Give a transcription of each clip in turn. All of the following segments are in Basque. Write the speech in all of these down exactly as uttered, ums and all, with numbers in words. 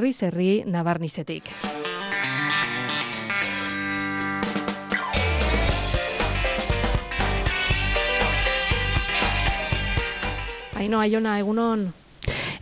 herriz herri Nabarnizetik. Aino, Aiona, egunon.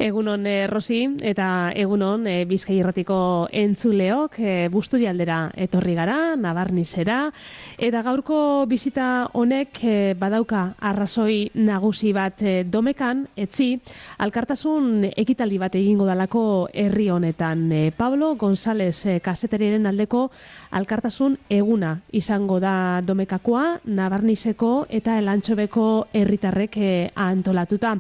Egunon, eh, Rosi, eta egunon eh, Bizkai Irratiko entzuleok eh, Busturialdera etorri gara, Nabarnizera, eta gaurko bizita honek eh, badauka arrazoi nagusi bat eh, domekan, etzi, alkartasun ekitaldi bat egingo dalako herri honetan. Eh, Pablo González eh, kazetariaren aldeko alkartasun eguna izango da domekakoa, Nabarnizeko eta Elantxobeko herritarrek eh, antolatuta.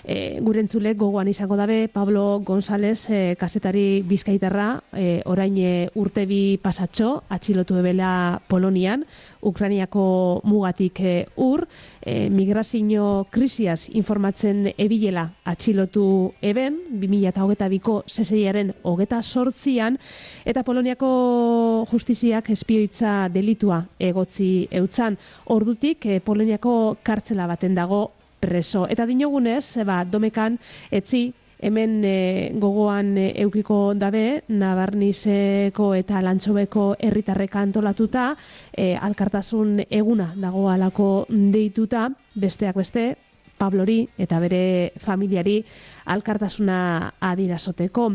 Eh, gure entzulek gogoan izango dabe Pablo González eh, kazetari bizkaitarra eh, orain eh, urtebi pasatxo atxilotu ebela Polonian, Ukrainiako mugatik eh, ur, eh, migrazio krisiaz informatzen ebilela atxilotu eben, bi mila hogeita biko seseiaren hogeta sortzian, eta Poloniako justiziak espioitza delitua egotzi eutzan. Ordutik eh, Poloniako kartzela baten dago preso. Eta dinogunez, ba, domekan etzi, hemen e, gogoan e, eukiko dabe, Nabarnizeko eta Elantxobeko herritarrek antolatuta, e, alkartasun eguna dago alako deituta, besteak beste, Pablori eta bere familiari alkartasuna adirazoteko.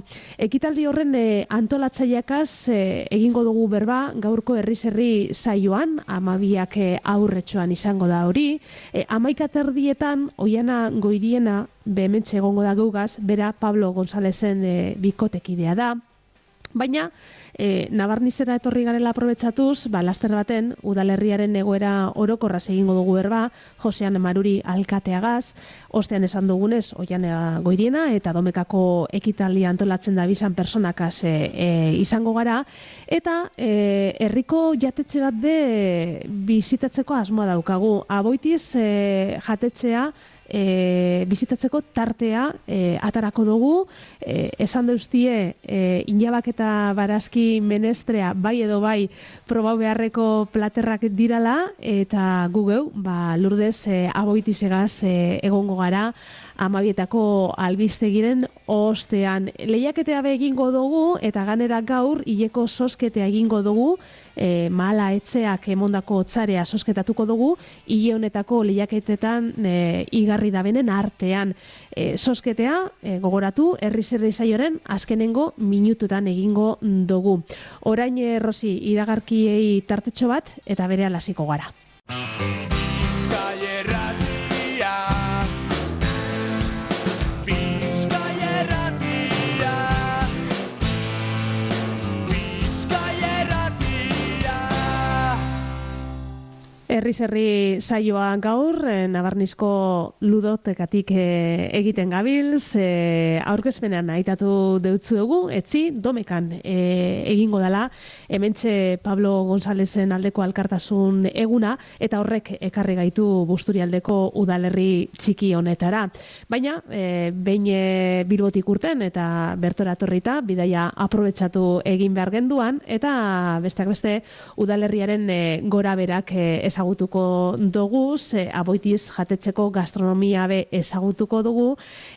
Ekitaldi horren e, antolatzaileakaz e, egingo dugu berba gaurko herriz herri saioan, amabiak e, aurretxoan izango da hori. E, Amaika terdietan, Oiana Goiriena, behementxe egongo da geugaz, bera Pablo Gonzálezen e, bikotekidea da. Baina, e, Nabarnizera etorri garela aprobetxatuz, ba, laster baten, udalerriaren egoera orokorraz egingo dugu berba, Josean Maruri alkateagaz, ostean esan dugunez, Oiana Goiriena eta domekako ekitaldi antolatzen da bizan personakaz e, e, izango gara, eta e, herriko jatetxe bat be bizitatzeko asmoa daukagu. Aboitiz e, jatetxea, E, bizitatzeko tartea e, atarako dugu, e, esan deustie e, inabak eta barazki menestrea bai edo bai probau beharreko platerrak dirala, eta gugeu ba, lurdez e, aboitizegaz e, egongo gara amabietako albistegiren ostean. Lehiaketea be egingo dugu, eta ganera gaur hileko sosketea egingo dugu, e, mahala etxeak emondako otzarea sosketatuko dugu, hile honetako lehiaketetan e, igarri dabenen artean. E, sosketea, e, gogoratu, herriz herri saioren azkenengo minututan egingo dugu. Orain, e, Rosi, iragarkiei tartetxo bat, eta bere hasiko gara. Herriz herri saioa gaur, eh, Nabarnizko ludotekatik eh, egiten gabilz, eh, aurkezpenean aitatu deutzuegu, etzi, domekan eh, egingo dela, hementxe Pablo Gonzálezen aldeko alkartasun eguna, eta horrek ekarri gaitu Busturialdeko udalerri txiki honetara. Baina, eh, behin eh, Bilbotik urten eta bertora torrita, bidaia aprobetxatu egin behar genduan, eta besteak beste udalerriaren eh, gora berak eh, ezagutuko dugu, e, aboitiz jatetxeko gastronomia be ezagutuko dugu,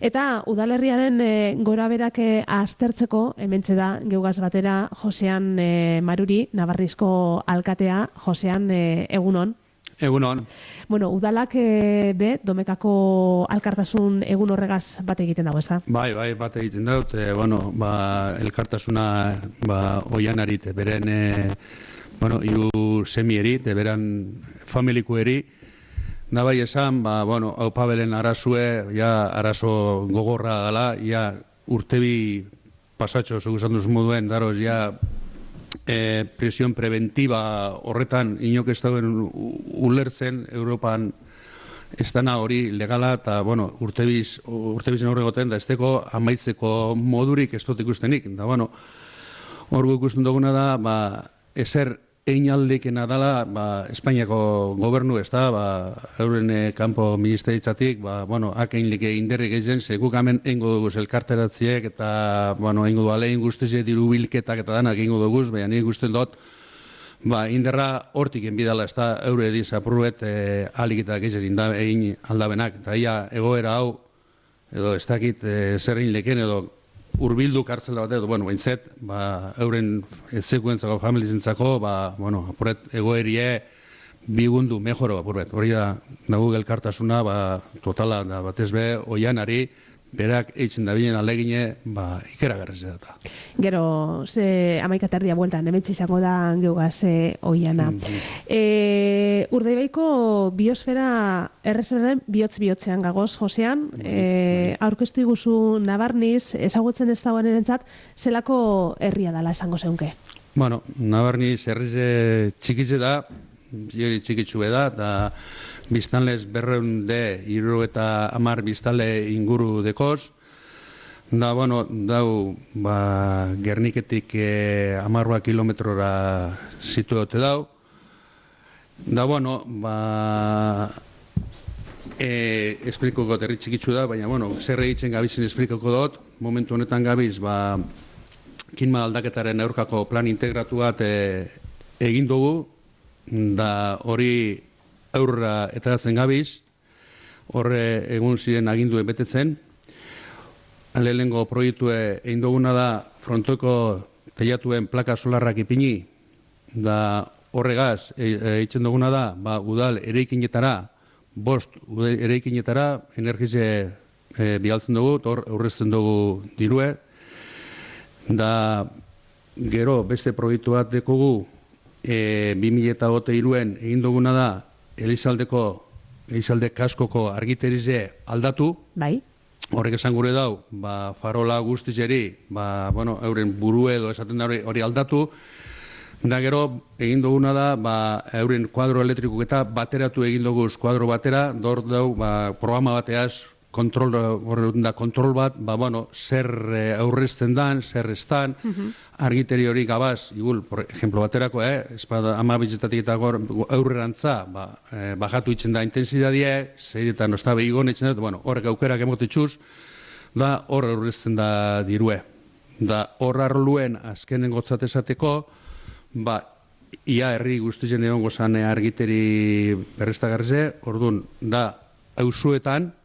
eta udalerriaren e, gora berak e, aztertzeko, hementxe da, geugaz batera, Josean e, Maruri, Nabarnizko alkatea. Josean, e, egunon. Egunon. Bueno, udalak e, be, domekako alkartasun egun horregaz bat egiten dago, ezta? Bai, bai, bat egiten daut, e, bueno, ba, elkartasuna ba, Oianarit, beren e, bueno, iru semieri, beran familikueri, da bai esan, ba, bueno, hau Pabelen arazue, ja, arazo gogorra dela, ja, urtebi pasatxo, zugu esan duz moduen, daroz, ja, e, presión preventiva horretan, inok ez dauen ulertzen, Europan ez dana hori legala, eta, bueno, urtebiz, urtebizen horregoten, da, ez teko amaitzeko modurik ez dut ikustenik, da, bueno, hor ikusten duguna da, ba, ezer einaldekena dela, ba, Espainiako gobernu, ez da, ba, euren eh, kanpo ministeritzatik, ba, bueno, hakein like inderrik egin, ze guk hemen eingo duguz elkarteratziek, eta, bueno, eingo du alein guztize diru bilketak eta danak eingo duguz, baina nik guztien dut, ba, inderra hortik enbidala, ez da, eure ediz apurruet eh, aliketak egin egin aldabenak, eta ia egoera hau, edo ez dakit eh, zer egin leken, edo urbildu kartzela bat edo, bueno, bainzet, ba, euren ezekuentzako, familizentzako, ba, bueno, apuret, egoerie, bigundu, mejoro, apuret, hori da, nagu elkartasuna, ba, totala, da, batez be, oianari, berak eitzen da binen alegine, ba, ikeragarriz da. Gero, ze amaika terdia bueltan, hementsi izango da geugaz e, oiana. Mm-hmm. E, Urdaibaiko biosfera erreserben bihotz-bihotzean gagoz, Josean, e, aurkeztu iguzu Nabarniz, ezagutzen ez dagoen erentzat, zelako herria dala esango zeunke? Bueno, Nabarniz herrize txikitze da, Ziori txikitxue da, da biztanlez berreun de, iru eta amar biztale inguru dekoz. Da, bueno, dau, ba, Gerniketik eh, amarroa kilometrora situote dau. Da, bueno, ba, eh, esplikoko herri txikitxu da, baina, bueno, zer egiten gabizien esplikoko dut. Momentu honetan gabiz, ba, kinma aldaketaren aurkako plan integratu bat eh, egin dugu, da hori aurra etaratzen gabiz, horre egun ziren aginduen betetzen. Lehenengo proiektue egin duguna da frontoko teilatuen plaka solarrak ipini, da horregaz eitzen duguna da, ba, udal eraikinetara, bost udal eraikinetara energize e, bialtzen dugu, hor aurrezten dugu dirue. Da gero beste proiektu bat dekogu, E, bi mila hiruen egin duguna da Elizaldeko, Elizalde kaskoko argiterize aldatu. Bai. Horrek esan gure dau, ba, farola guztizeri, ba, bueno, euren buru edo esaten da hori, hori aldatu. Da gero egin duguna da, ba, euren kuadro elektrikuk eta bateratu egin duguz kuadro batera, dor dau, ba, programa bateaz, kontrol, da, kontrol bat, ba, bueno, zer e, aurrezten dan, zer estan, uh-huh. Argiteri hori gabaz, igul, por ejemplo, baterako, eh, espada ama bitzetatik eta aurrerantza, ba, eh, bajatu itzen da intensidadie, zeiretan ostabe igon itzen da, bueno, horrek aukerak emotitxuz, da hor aurrezten da dirue. Da hor arluen azkenen gotzat esateko, ba, ia herri guztien egon gozan argiteri berreztagarze, orduan, da, auzuetan,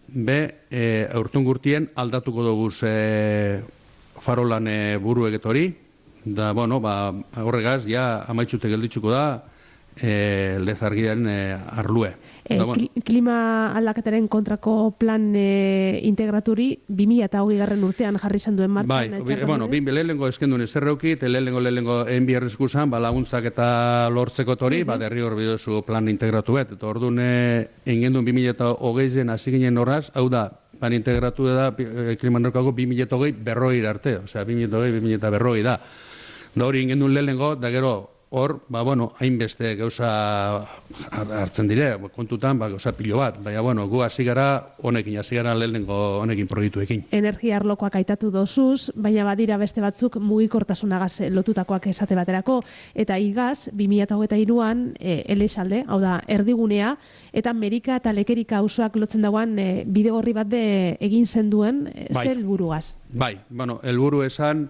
be, e, aurtun gurtien aldatuko dugu e, farolan e, buru egetori, da, bueno, ba, horregaz, ja, amaitxute gelditzuko da, e, lezargiaren e, arlue. E, da, bueno. Klima aldaketaren kontrako plan e, integraturi bi mila hogei garren urtean jarri izan duen martxan. Bai, bueno, bin lehenengo eskendun ezerreuki, eta lehenengo lehenengo enbiarrezku zan, ba, laguntzak eta lortzeko tori, uh-huh. Ba, derri hor bidozu plan integratu bet. Eta hor dune, engendun bi mila hogei zen hasi ginen horraz, hau da, plan integratu da, e, kliman norkako bi mila hogei berroi arte, osea, bi mila hogei, bi mila berroi da. Da hori engendun lehenengo, da gero, hor, ba, bueno, hainbeste gauza hartzen dire, kontutan, ba, gauza pilo bat. Baina, bueno, gu hasi gara honekin, hasi gara lehenengo honekin proiektuekin. Energia arlokoak aitatu dozuz, baina badira beste batzuk mugikortasunagaz lotutakoak esate baterako, eta igaz, bi mila hogeita hiruan, e, Elizalde, hau da, erdigunea, eta Amerika eta Lekerika auzoak lotzen dagoan e, bidegorri bat de egin zenduen, e, bai. Zer helburuaz? Bai, bueno, helburu esan,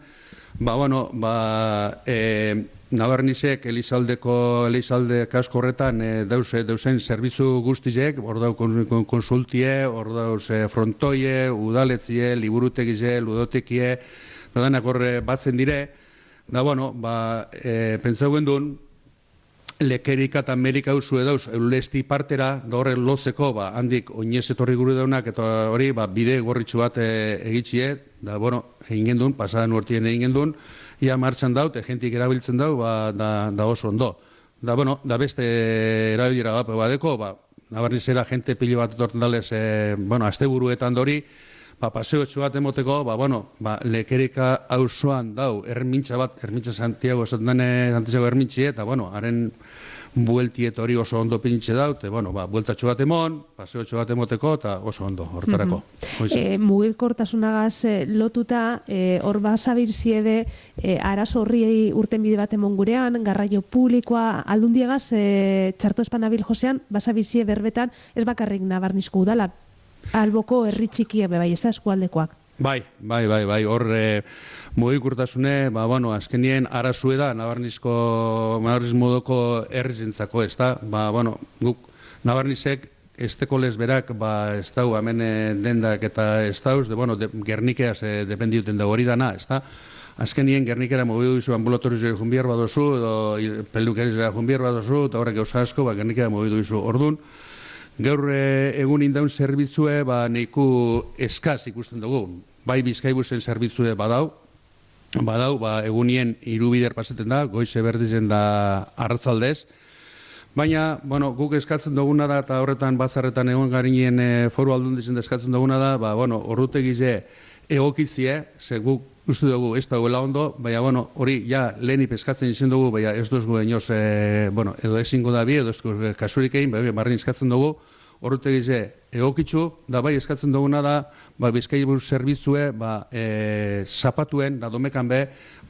ba, bueno, ba, e, Nabarnizek Elizaldeko, Elizalde kasko horretan e, dause, dausen zerbitzu guztizek, hor dau konsultie, hor dauz e, frontoie, udaletzie, liburutegize, ludotekie, da danak horre batzen dire, da, bueno, ba, e, pentsau gendun, Lekerika eta Amerika usu edauz, eulesti partera, da horre lotzeko, ba, handik oinez etorri gure daunak, eta hori, ba, bide gorritxu bat e, egitxie, da, bueno, egin gendun, pasadan urtien egin gendun, ia martxan daut, egentik erabiltzen dau, ba, da, da oso ondo. Da, bueno, da beste erabilera bat badeko, ba, Nabarnizera jente pilo bat etorten dalez, e, bueno, asteburuetan dori, ba, paseo etxu bat emoteko, ba, bueno, ba, Lekerika auzoan dau, ermintza bat, ermintza Santiago, esatene, Santiago ermintzie, eta, bueno, haren bueltiet hori oso ondo pinitxe daut, e, bueno, ba, bueltatxo bat emon, paseo etxu bat emoteko, eta oso ondo, hortarako. Mm-hmm. E, mugilkortasunagaz e, lotuta, e, hor basabir ziede, e, arazo horri urten bide bat emon gurean, garraio publikoa, aldundiagaz, e, txarto espanabil Josean, basabir zie berbetan, ez bakarrik Nabarnizko udala, alboko herri txikiak bai, ez da eskualdekoak. Bai, bai, bai, bai, hor e, mugikortasune, ba, bueno, azkenien arazue da, Nabarnizko, Nabarniz modoko herrizentzako, ez da, ba, bueno, guk Nabarnizek esteko lesberak, ba, ez dau, hemen dendak eta ez dauz, de, bueno, de, Gernikeaz e, dependiuten da hori dana, ez da? Azkenien Gernikera mobidu dizu ambulatoriozera junbiar badozu, edo pelukerizera junbiar badozu, eta horrek gauza asko, ba, Gernikera mobidu dizu. Ordun, gaur egun indaun zerbitzue, ba, neiku eskaz ikusten dugu. Bai Bizkaibusen zerbitzue badau, badau, ba, egunien irubider paseten da, goize berdizen da arratzaldez. Baina, bueno, guk eskatzen duguna da, eta horretan bazarretan egon garinien e, foru aldundizen da eskatzen duguna da, ba, bueno, horrutegize egokitzie, ze guk uste dugu ez dagoela ondo, baina, bueno, hori, ja, lehenip eskatzen izan dugu, baina ez duzgu enoz, e, bueno, edo ezingo da bi, edo ez duzgu kasurik egin, baina, barrin eskatzen dugu, horretegize egokitzu, da bai eskatzen duguna da, ba, Bizkaibus zerbitzue, ba, e, zapatuen, da domekan be,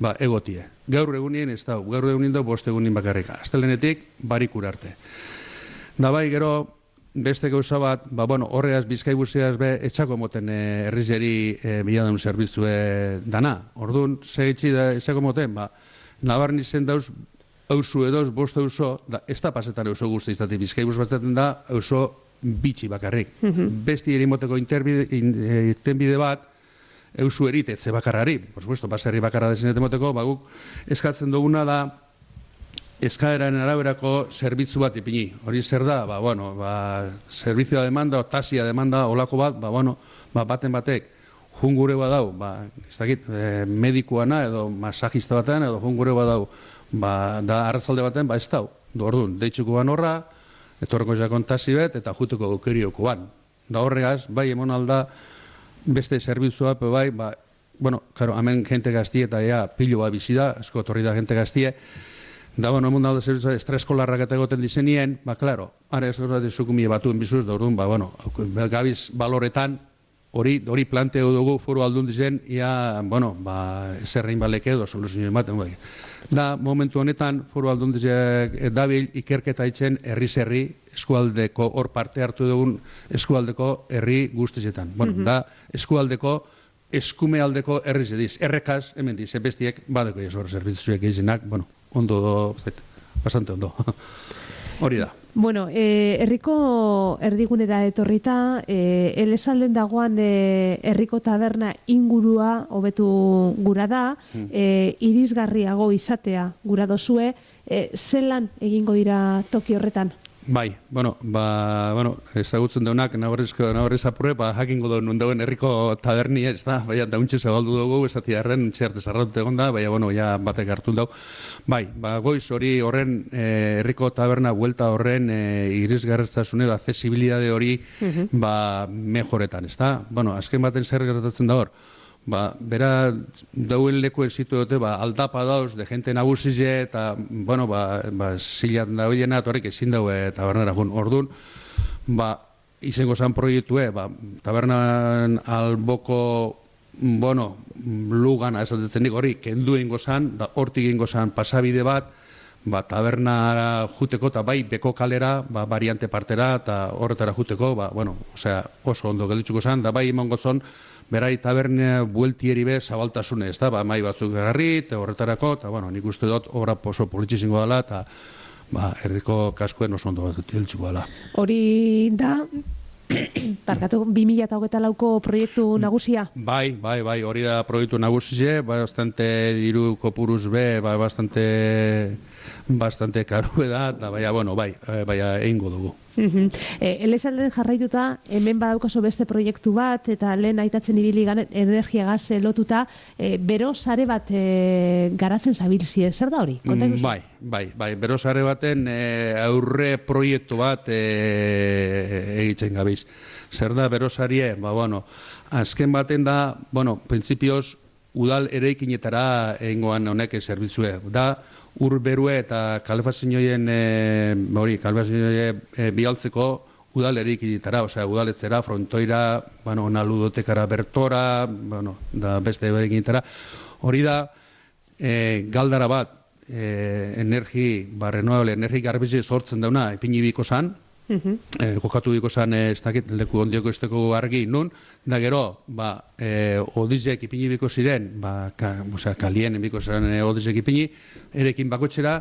ba, egotie. Gaur egunien ez da, gaur egunien da, bost egunin bakarrika. Astelenetik, barikur arte. Da bai, gero, beste gauza bat, ba, bueno, horreaz Bizkaibuseaz be, etxako moten e, herrizeri e, biladun zerbitzue dana. Orduan, segitzi da, etxako moten, ba, nabarni zen dauz, auzu edoz, bost auzo, da, ez da pasetan auzo guzti izate, Bizkaibus batzaten da, auzo bitxi bakarrik. Mm-hmm. Besti erimoteko irtenbide bat, eusu eritetze bakarrari, por supuesto, baserri bakarra desenet emoteko, baguk eskatzen duguna da, eskaeraren araberako zerbitzu bat ipini. Hori zer da, ba, bueno, ba, servizioa demanda, o tasia demanda, olako bat, ba, bueno, ba, baten batek, jungure badau, ba, ez dakit, e, medikuana edo masajista batean, edo jungure badau, ba, da arrazalde baten, ba, ez dau. Orduan, deitzuko ban horra, etorreko jakon tasi bet, eta juteko aukerioko ban. Da horregaz, bai, emon alda, beste zerbitzua, pe bai, ba, bueno, claro, hemen jente gaztie eta ea pilo bat bizi da, asko torri da jente gaztie, da, bueno, emon alda zerbitzua, estreskolarrak eta egoten dizenien, ba, claro, ara ez gara dezukumie batuen bizuz, da orduan, ba, bueno, gabiz baloretan, hori hori planteo dugu foru aldundizen, ia, bueno, ba, zerrein baleke edo soluzio ematen, bai. Da, momentu honetan, foru aldundizek dabil ikerketa itzen herri-zerri eskualdeko, hor parte hartu dugun eskualdeko herri guztietan. Bueno, mm-hmm. Da, eskualdeko, eskumealdeko herri zediz. Errekaz, hemen diz, bestiek, badeko jesor zerbitzuek izinak, bueno, ondo, bastante ondo. Hori da. Bueno, eh, herriko erdigunera etorrita, eh, elesalden dagoan eh, herriko taberna ingurua hobetu gura da, eh, irisgarriago izatea gura dozue, eh, zelan egingo dira toki horretan? Bai, bueno, ba, bueno, ezagutzen daunak, nabarrizko, nabarriz apurre, ba, jakingo duen nundauen herriko taberni, ez da, baina dauntxe zabaldu dugu, esati harren, txerte zarratute egon da, baina, bueno, ja batek hartu dau. Bai, ba, goiz hori horren, eh, herriko taberna, buelta horren, eh, irisgarretasune, ba, accesibilidade hori, uh-huh. ba, mejoretan, ez da? Bueno, azken baten zer gertatzen da hor, ba, bera dauen lekuen zitu dute, ba, aldapa dauz, de gente nagusize, eta, bueno, ba, ba zilat da hoiena, horrek ezin daue tabernara jun. Orduan, ba, izango zan proiektue, ba, tabernan alboko, bueno, lugana esatetzen nik hori, kendu ingo zan, da hortik ingo zan pasabide bat, ba, tabernara juteko, eta bai, beko kalera, ba, variante partera, eta horretara juteko, ba, bueno, osea, oso ondo gelditzuko zan, da bai, imango zon, berai tabernea bueltieri be zabaltasune, ez da, ba, mai batzuk garri, eta horretarako, eta, bueno, nik uste dut, obra oso politxizingo dela, eta, ba, herriko kaskuen oso ondo heltzuko dela. Hori da, parkatu, bi mila hogeita lauko proiektu nagusia? Bai, bai, bai, hori da proiektu nagusia, bastante diru kopuruz be, ba, bastante, bastante karu da, eta, baina, bueno, bai, baina egingo dugu. Uh-huh. E, Elesalden jarraituta, hemen badaukaso beste proiektu bat, eta lehen aitatzen ibili energia gaz lotuta, e, bero sare bat e, garatzen zabilzie, zer da hori? Mm, bai, bai, bai, bero sare baten e, aurre proiektu bat e, egitzen gabiz. Zer da bero sarie? Ba, bueno, azken baten da, bueno, printzipioz, udal eraikinetara egingoan honek zerbitzue. Da, ur berue eta kalefazioen, e, hori, kalefazioen e, bialtzeko udal eraikinetara, osea, udaletzera, frontoira, bueno, ona ludotekara bertora, bueno, da beste eraikinetara. Hori da, e, galdara bat, e, energi, ba, renovable, energi garbizi sortzen dauna, ipinibiko zan, Uh-huh. Eh, kokatu biko zan, eh, ez dakit, leku ondioko esteko argi nun, da gero, ba, eh, odizek ipini biko ziren, ba, ka, osea, kalien biko zan eh, odizek ipini, erekin bakotxera,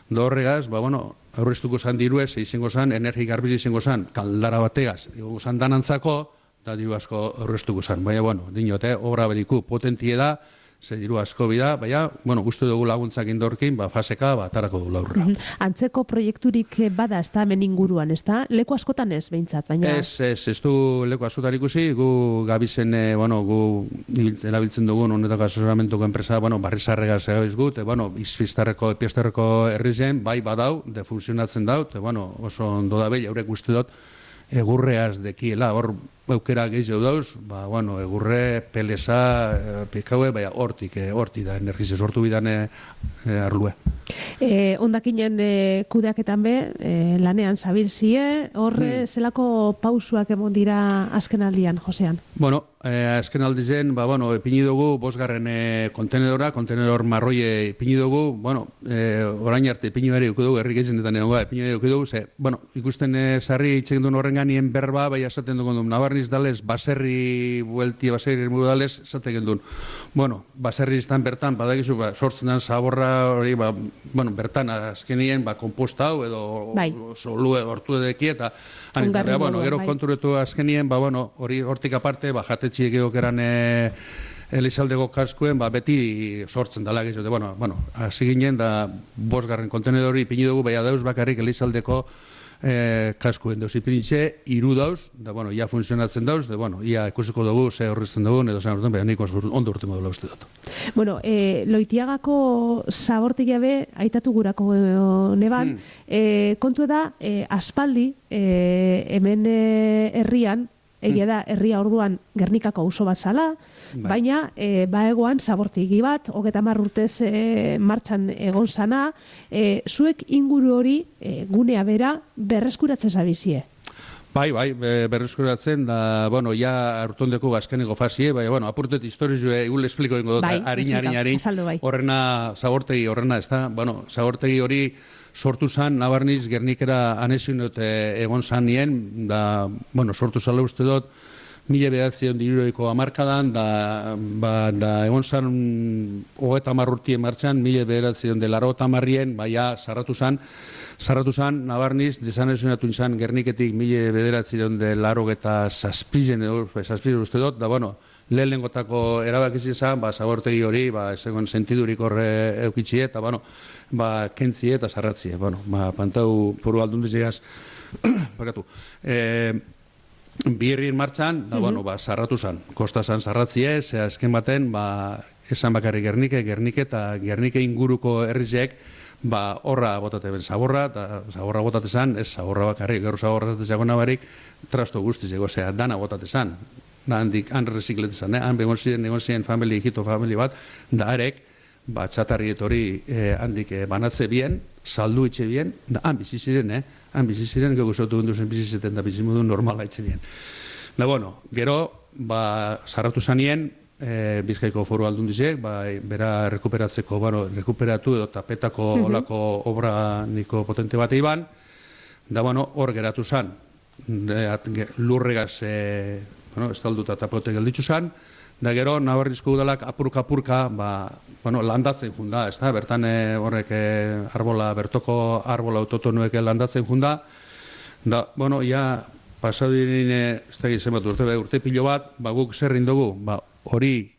Da horregaz, ba, bueno, aurreztuko zan diruez, izango zan, energi garbiz izango zan, kaldara bategaz, izango zan danantzako, da diru asko aurreztuko zan. Baina, bueno, dinote, obra beriku potentie da, ze diru asko bida, baina, bueno, guztu dugu laguntzak indorkin, ba, faseka, ba, atarako du laurra. Antzeko proiekturik bada, ez da, hemen inguruan, ez da? Leku askotan ez, behintzat, baina... Ez, ez, ez du leku askotan ikusi, gu gabizen, eh, bueno, gu erabiltzen dugun honetako asesoramentuko enpresa, bueno, barrizarregaz egoiz gut, e, bueno, izpiztarreko, epiaztarreko herrizen, bai badau, de funtzionatzen dau, e, bueno, oso ondo da behi, haurek guzti dut, egurreaz dekiela, hor aukera gehiago dauz, ba, bueno, egurre, pelesa, e, pikaue, baina hortik, e, hortik da, energize sortu bidan e, e, arlue. E, ondakinen e, kudeaketan be, e, lanean zabilzie, horre hmm. zelako pausuak emon dira azken aldian, Josean? Bueno, eh, azken aldizen, ba, bueno, ipini dugu, bosgarren e, kontenedora, kontenedor marroie ipini dugu, bueno, e, orain arte ipini bari dugu, herrik ezenetan egon gara, ipini bari dugu, ze, bueno, ikusten e, sarri itxegin duen horren ganien berba, bai esaten dugu duen, nabarniz dalez, baserri buelti, baserri muru dalez, esaten duen. Bueno, baserri izan bertan, badakizu, ba, sortzen den zaborra hori, ba, bueno, bertan azkenien, ba, komposta hau, edo bai. Solue hortu edeki, eta anitzarria, bueno, gero bai. Konturetu azkenien, ba, bueno, hori hortik aparte, ba, jatetxiek egokeran e, Elizaldeko kaskuen, ba, beti sortzen dala gehiago. Bueno, bueno, hasi ginen, da, bosgarren kontenedori ipini dugu, baina dauz bakarrik Elizaldeko eh, kaskuen dauz ipinitxe, iru dauz, da, bueno, ia funtzionatzen dauz, da, bueno, ia ikusiko dugu, ze horrezten dugu, edo zen urten, baina nik ondo urten modula uste dut. Bueno, eh, Loitiagako zabortegia be, aitatu gurako neban, hmm. eh, kontu da, eh, aspaldi, eh, hemen eh, herrian, egia da, herria orduan Gernikako auzo bat zala, bai. Baina e, baegoan zabortegi bat, hogeta hamar urtez e, martxan egon zana, e, zuek inguru hori e, gunea bera berreskuratzen zabizie. Bai, bai, berreskuratzen, da, bueno, ja hartondeko azkeneko fazie, bai, bueno, apurtet historizue, egun espliko ingo dut, bai, harin, harin, harin, bai. horrena, zabortegi horrena, ez da, bueno, zabortegi hori sortu zan, nabarniz, Gernikera anezin dut egon zan nien, da, bueno, sortu zala uste dut, mila behatzion diruroiko amarkadan, da, ba, da egon zan hogeta marrurtien martxan, mila behatzion de laro tamarrien, baina sarratu zan, sarratu zan, nabarniz, desanezionatu zan Gerniketik mila behatzion de laro eta zazpizen, zazpizen uste dut, da, bueno, lehen lengotako erabakizi izan, ba, zabortegi hori, ba, ezegon sentidurik horre eukitxie, eta, bueno, ba, kentzie eta sarratzie, bueno, ba, pantau poru aldundizigaz, bakatu, eh, Birrien martxan, da, bueno, ba, sarratu zan, kosta zan sarratzie, ze azken baten, ba, esan bakarrik Gernike, Gernike eta Gernike inguruko herrizek, ba, horra botate ben zaborra, eta zaborra botate zan, ez zaborra bakarrik, gero zaborra zatezago nabarik, trasto guztizeko, zea, dana botate zan, da, handik, han rezikletzen zan, eh? Han begon ziren, egon ziren family, hito family bat, da arek, ba, txatarriet hori eh, handik eh, banatze bien, saldu itxe bien, da, han bizi ziren, eh? Han bizi ziren, gego zotu gunduzen bizi zeten da bizimudu normala itxe bien. Da, bueno, gero, ba, sarratu zanien, e, Bizkaiko foru aldundizek, ba, bera rekuperatzeko, bueno, rekuperatu edo tapetako mm-hmm. olako obra niko potente bat iban, da, bueno, hor geratu zan, lurregaz, e, bueno, estalduta tapote gelditzu zan, da gero, Nabarrizko udalak apurka-apurka, ba, bueno, landatzen junda, ez da, bertan e, horrek e, arbola, bertoko arbola autotonuek landatzen junda, da, bueno, ja, pasadirin, ez da gizien bat urte, urte pilo bat, ba, guk zerrin dugu, ba, hori,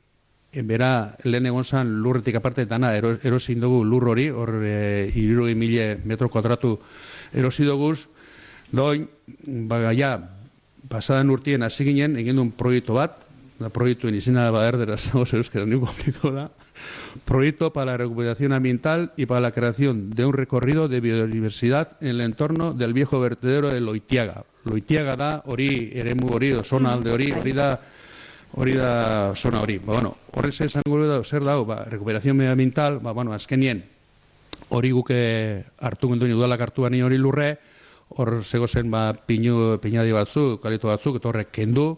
bera, lehen egon zan lurretik aparte, dana, erosin dugu lur hori, hor, e, irurogei mila metro kuadratu erosi duguz, doin, ba, ja, pasadan urtien hasi ginen, egin duen proiektu bat, da proiectuen izena da erderaz, oso euskera ni complicado da, proyecto para la recuperación ambiental y para la creación de un recorrido de biodiversidad en el entorno del viejo vertedero de Loitiaga. Loitiaga da, hori, eremu hori, zona alde hori, hori da, hori da zona hori. Ba, bueno, horrez esango da, zer dago, ba, recuperación medioambiental, ba, bueno, azkenien, hori guke hartu genduen udalak hartu bani hori lurre, hor zegozen, ba, pinu, pinadi batzuk, kalito batzuk, eta horrek kendu,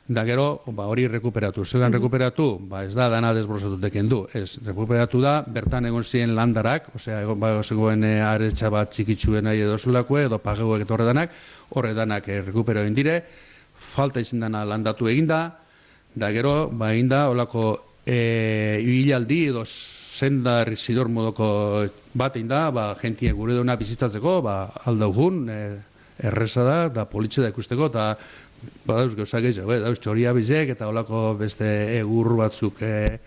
da gero, ba, hori rekuperatu. Zeran rekuperatu, ba, ez da dana desbrozatut kendu. Ez, rekuperatu da, bertan egon ziren landarak, osea, egon ba, zegoen e, aretsa bat txikitsuen nahi edo zelakue, edo pagegoek eta horre danak, horre danak e, rekupero egin dire, falta izin dana landatu eginda, da gero, ba, eginda, holako e, ibilaldi edo senda rizidor modoko batein da, ba, jentie gure duna bizitzatzeko, ba, aldaugun, e, erreza da, da politxe da ikusteko, eta ba, dauz gauzak gehiago, eh, dauz txoria bizek, eta olako beste egur batzuk, e,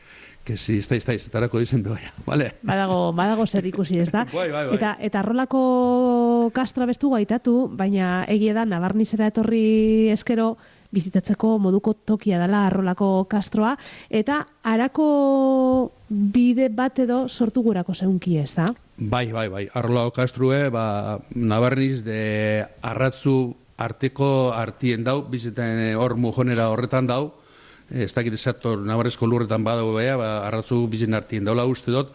kezi, ez da, ez da, ez da, dizen behoia, vale? Badago, badago zer ikusi, ez da? Bai, bai, bai. Eta, eta rolako kastroa bestu gaitatu, baina egia da, Nabarnizera etorri eskero, bizitatzeko moduko tokia dela arrolako kastroa, eta harako bide bat edo sortu gurako zeunki, ez da? Bai, bai, bai. Arrolako kastrue, ba, Nabarniz de arratzu arteko artien dau, biziten hor mujonera horretan dau, ez dakit esator Nabarrezko lurretan badago beha, ba, arratzu bizin artien daula uste dut,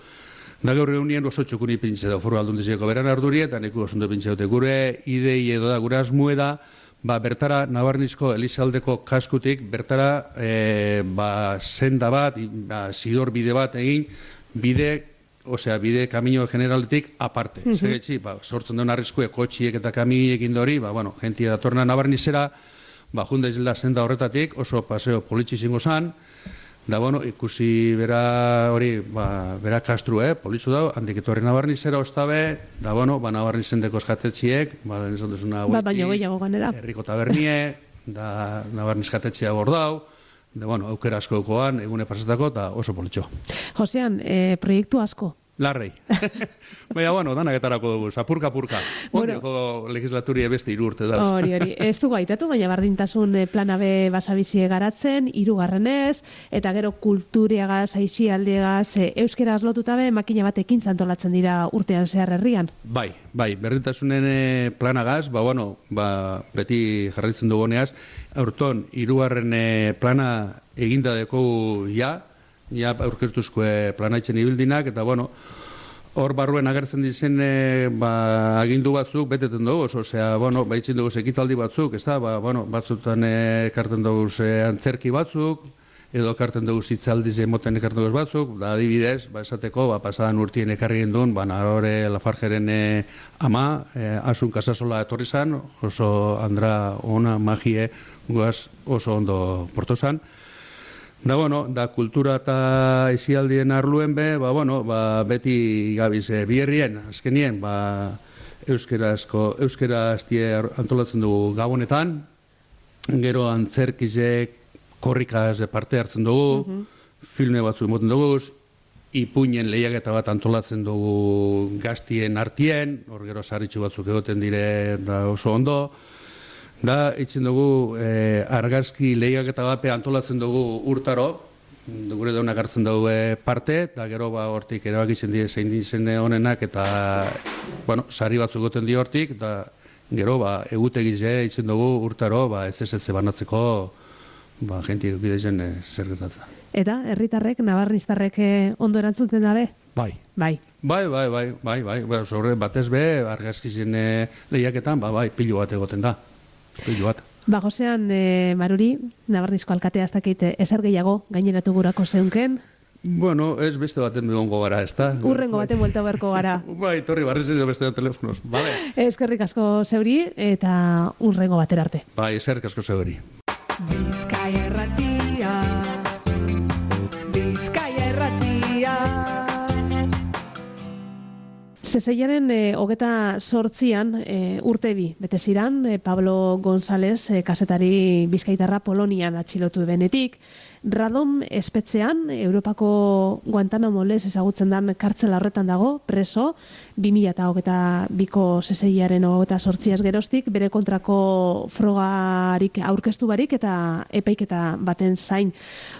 da gaur egunien oso txukuni pintze da, foru aldundizeko beran arduri, eta neku osundu pintze dute. Gure idei edo da, gure asmue da, ba, bertara Nabarnizko Elizaldeko kaskutik, bertara e, ba, senda bat, ba, zidor bide bat egin, bide, osea, bide kamino generaletik aparte. Uh -huh. Zegetzi, ba, sortzen duen arriskue kotxiek eta kamioiek indori, ba, bueno, jentia datorna Nabarnizera, ba, junda izela senda horretatik, oso paseo politxi zingo zan, da, bueno, ikusi bera hori, ba, bera kastru, eh, politxu dau, handik etorri Nabarnizera ostabe, da, bueno, ba, Nabarnizen deko eskatetziek, ba, lehen esan duzuna ba, baino gehiago ganera. Herriko tabernie, da, Nabarniz jatetzia bordau, da, bueno, aukera asko dukoan, egune pasatako, eta oso politxo. Josean, eh, proiektu asko. Larrei. Baina, bueno, danaketarako dugu, apurka-apurka. Ondioko bueno, legislaturia beste hiru urte dauz. Hori, hori. Ez du gaitatu, baina bardintasun plana be basabizie garatzen, hirugarrenez, eta gero kulturiagaz, aizialdiagaz, euskeraz lotuta be, makina bat ekintzan antolatzen dira urtean zehar herrian. Bai, bai, berdintasunen planagaz, ba, bueno, ba, beti jarraitzen duguneaz, aurton, hirugarren plana eginda dekogu ja, ja aurkeztuzkoe planaitzen ibildinak, eta bueno, hor barruen agertzen dizen e, ba, agindu batzuk beteten dugu, osea, bueno, baitzen dugu ekitaldi batzuk, ez da, ba, bueno, batzutan ekarten dugu antzerki batzuk, edo ekarten dugu zitzaldiz emoten ekarten dugu batzuk, da adibidez, ba, esateko, ba, pasadan urtien ekarri gendun, ba, Narore Lafargeren e, ama, e, Asun Kasasola etorri zan, oso andra ona magie guaz oso ondo porto zan. Da, bueno, da kultura eta esialdien arluen be, ba, bueno, ba, beti gabiz e, bierrien, azkenien, ba, euskerazko, euskaraztie antolatzen dugu gabonetan, gero antzerkizek, korrikaz parte hartzen dugu, uh-huh. filme batzu emoten dugu, ipuinen lehiaketa bat antolatzen dugu gaztien artien, hor gero sarritxu batzuk egoten dire da oso ondo, da, itzen dugu, eh, argazki lehiaketa bape antolatzen dugu urtaro, gure daunak hartzen dugu eh, parte, eta gero ba, hortik erabakitzen die zein dizen honenak, eta, bueno, sari batzuk goten di hortik, eta gero, ba, egutegize itzen dugu urtaro, ba, ez ez ez banatzeko, ba, jentik bidezen eh, zer gertatzen. Eta, herritarrek, nabarniztarrek eh, ondo erantzuten dabe? Bai. Bai. Bai, bai, bai, bai, bai, bai, sobre batez be, argazkizien eh, lehiaketan, ba, bai, pilu bat egoten da. Bat. Ba, Josean, e, Maruri, Nabarnizko alkatea ez dakit ezer gehiago gaineratu gurako zeunken? Bueno, ez beste baten begongo gara, ez da? Urrengo baten buelta beharko gara. Bai, torri barriz edo beste telefonos, vale? Eskerrik asko zeuri eta urrengo batera arte. Bai, eskerrik asko zeuri. Bizkaia erratia, Bizkaia erratia. Zezeiaren e, hogeta sortzian e, urte bi, bete ziran, e, Pablo González, e, kasetari bizkaitarra Polonian atxilotu benetik. Radom espetzean, Europako Guantanamo lez ezagutzen dan kartzela horretan dago, preso, bi mila eta hogeta biko zezeiaren hogeta sortziaz geroztik, bere kontrako frogarik aurkeztu barik eta epaiketa baten zain.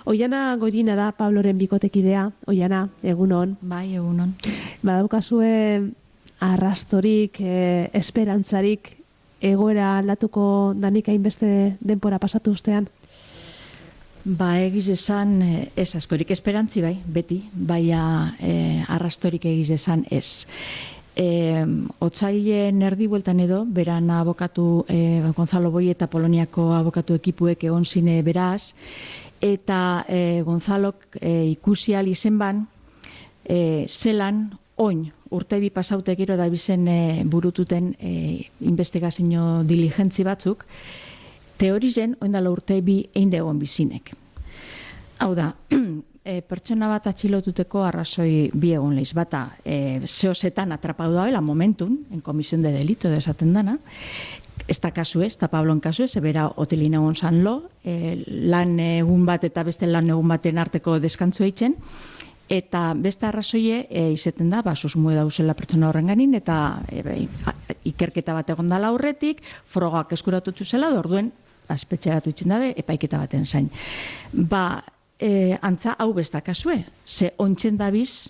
Oiana Goirina da Pabloren bikotekidea, Oiana, egunon. Bai, egunon. Badaukazue arrastorik, eh, esperantzarik, egoera aldatuko danik hainbeste denpora pasatu ustean? Ba, egiz esan, ez askorik esperantzi bai, beti, baina e, arrastorik egiz esan ez. E, Otsailen erdi bueltan edo, beran abokatu, e, Gonzalo Boi eta Poloniako abokatu ekipuek egon zine beraz, eta e, Gonzalok e, ikusial izen ban, e, zelan, oin, urte bi pasaute gero da bizen e, burututen e, investigazio diligentzi batzuk, teorizen, oindala urte bi egin degon bizinek. Hau da, e, pertsona bat atxilotuteko arrazoi bi egon leiz. Bata, e, zehozetan atrapau daela momentun, en komisión de delito desaten dana, ez da kasu ez, eta Pablon kasu ez, ebera hotelin egon zan lo, e, lan egun bat eta beste lan egun baten arteko deskantzu eitzen, eta beste arrazoie e, izeten da, ba, susmue dauzela pertsona horren ganin, eta e, be, ikerketa bat egon dala aurretik, frogak eskuratutu zela, orduen aspetxeratu itzen dabe, epaiketa baten zain. Ba, e, antza hau besta kasue, ze ontsen dabiz,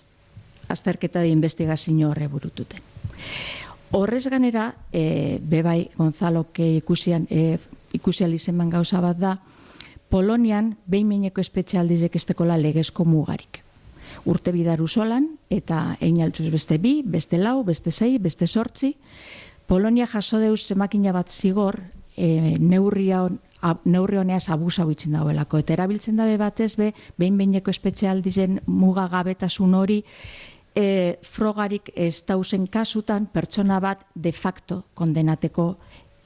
azterketa de investigazio horre burututen. Horrez ganera, e, bebai Gonzalok ikusian, e, ikusial izenban gauza bat da, Polonian behin-meineko espetxealdizek estekola legezko mugarik. Urte bidaru solan, eta egin altuz beste bi, beste lau, beste sei, beste sortzi. Polonia jaso deuz zemakina bat zigor, e, neurria on, ab, neurri honeaz abusa bitzen dauelako. Eta erabiltzen dabe batez be, behin-meineko espetxealdizen mugagabetasun hori, e, frogarik ez dauzen kasutan pertsona bat de facto kondenateko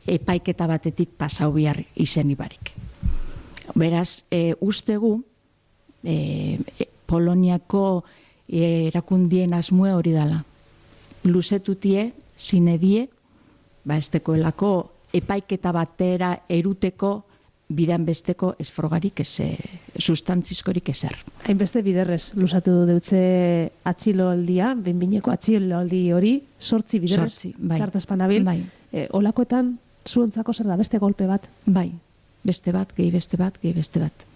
epaiketa batetik pasau bihar izen ibarik. Beraz, e, ustegu, e, e, Poloniako e, erakundien asmue hori dala. Luzetutie, zinedie, ba estekoelako epaiketa batera eruteko bidan besteko ez frogarik, ez e, sustantzizkorik ezer. Hainbeste biderrez, luzatu deutze atxiloaldia, benbineko atxiloaldi hori, sortzi biderrez, Sortzi, bai. Zartazpanabil. Bai. E, olakoetan, zuontzako zer da, beste golpe bat? Bai, beste bat, gehi beste bat, gehi beste bat.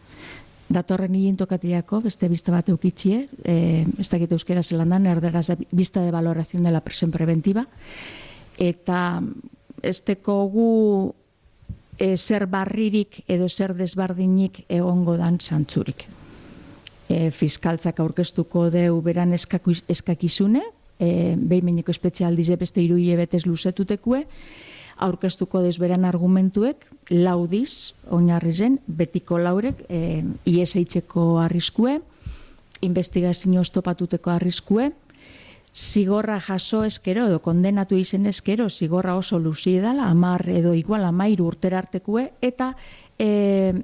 Datorren higintokatiako, beste bista bat eukitxie, eh, ez dakit euskera zelandan, erderaz da vista de valoración de la presión preventiva, eta ez tekogu e, zer barririk edo zer desbardinik egongo dan zantzurik. E, fiskaltzak aurkeztuko deu beran eskaku, eskakizune, e, behin-meineko espezialdize beste iruie betez luzetutekue, aurkeztuko desberan argumentuek, laudiz, oinarri zen, betiko laurek, e, ies eitzeko arriskue, investigazio ostopatuteko arriskue, zigorra jaso eskero edo kondenatu izen eskero, zigorra oso luzi edala, amar edo igual amairu urtera artekue, eta e,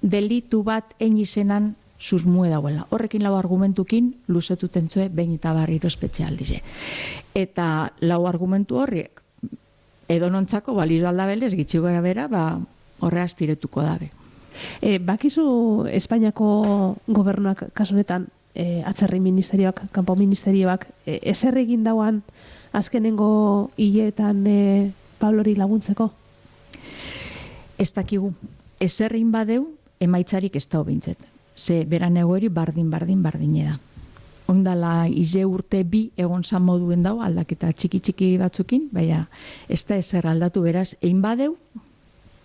delitu bat egin izenan susmue dauela. Horrekin lau argumentukin luzetuten zue behin eta barriro espetxealdize. Eta lau argumentu horriek, edo nontzako balio aldabelez, gitxi gara bera, ba, horreaz tiretuko dabe. E, bakizu Espainiako gobernuak kasunetan, e, atzerri ministerioak, kanpo ministerioak, e, ezer egin dauan azkenengo hileetan e, Pablori laguntzeko? Ez dakigu, ezerrin badeu, emaitzarik ez da hobintzet. Ze beran egoeri bardin, bardin, bardine da. Ondala ize urte bi egon zan moduen dau, aldaketa txiki-txiki batzukin, baina ez da ezer aldatu beraz, egin badeu,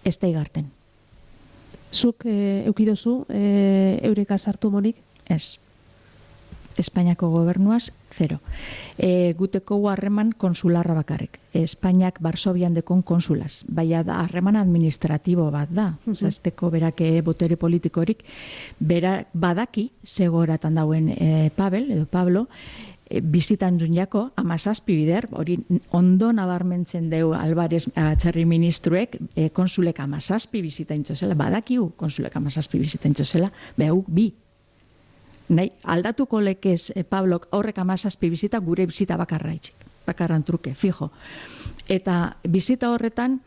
ez da igarten. Zuk e, eukidozu e, eureka sartu monik? Ez. Espainiako gobernuaz, zero. E, guteko harreman konsularra bakarrik. Espainiak Barsobian dekon konsulaz. Baina da harreman administratibo bat da. Uh -huh. Zazteko berake botere politikorik. Bera, badaki, zegoratan dauen e, Pavel, edo Pablo, e, bizitan dunjako, amazazpi bider, hori ondo nabarmentzen deu Alvarez atzerri ministruek, e, konsulek amazazpi bizitan txosela, badakiu konsulek amazazpi bizitan txosela, behuk bi. Nahi, aldatuko lekez, eh, Pablok, horrek amazazpi bizita, gure bizita bakarra itxik. Bakarran truke, fijo. Eta bizita horretan,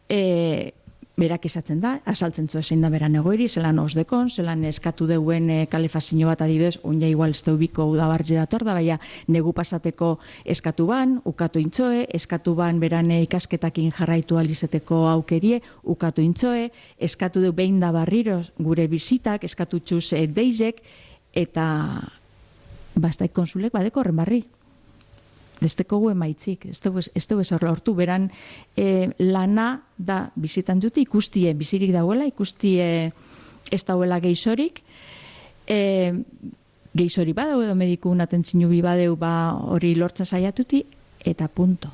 e, berak esatzen da, asaltzen zu zein da beran egoiri, zelan osdekon, zelan eskatu deuen e, kalefazio bat adibidez, oina igual ez deubiko udabartze dator da, baina negu pasateko eskatu ban, ukatu intzoe, eskatu ban beran e, ikasketakin jarraitu alizeteko aukerie, ukatu intzoe, eskatu deu behin da barriro gure bizitak, eskatu txuz e, deizek, eta bastaik konsulek badeko horren barri. Ez dugu emaitzik, ez dugu ez hortu, beran e, lana da bizitan dute, ikustie bizirik dauela, ikustie ez dauela geizorik, e, geizori badau edo mediku atentzinu bi badeu ba hori lortza saiatuti, eta punto.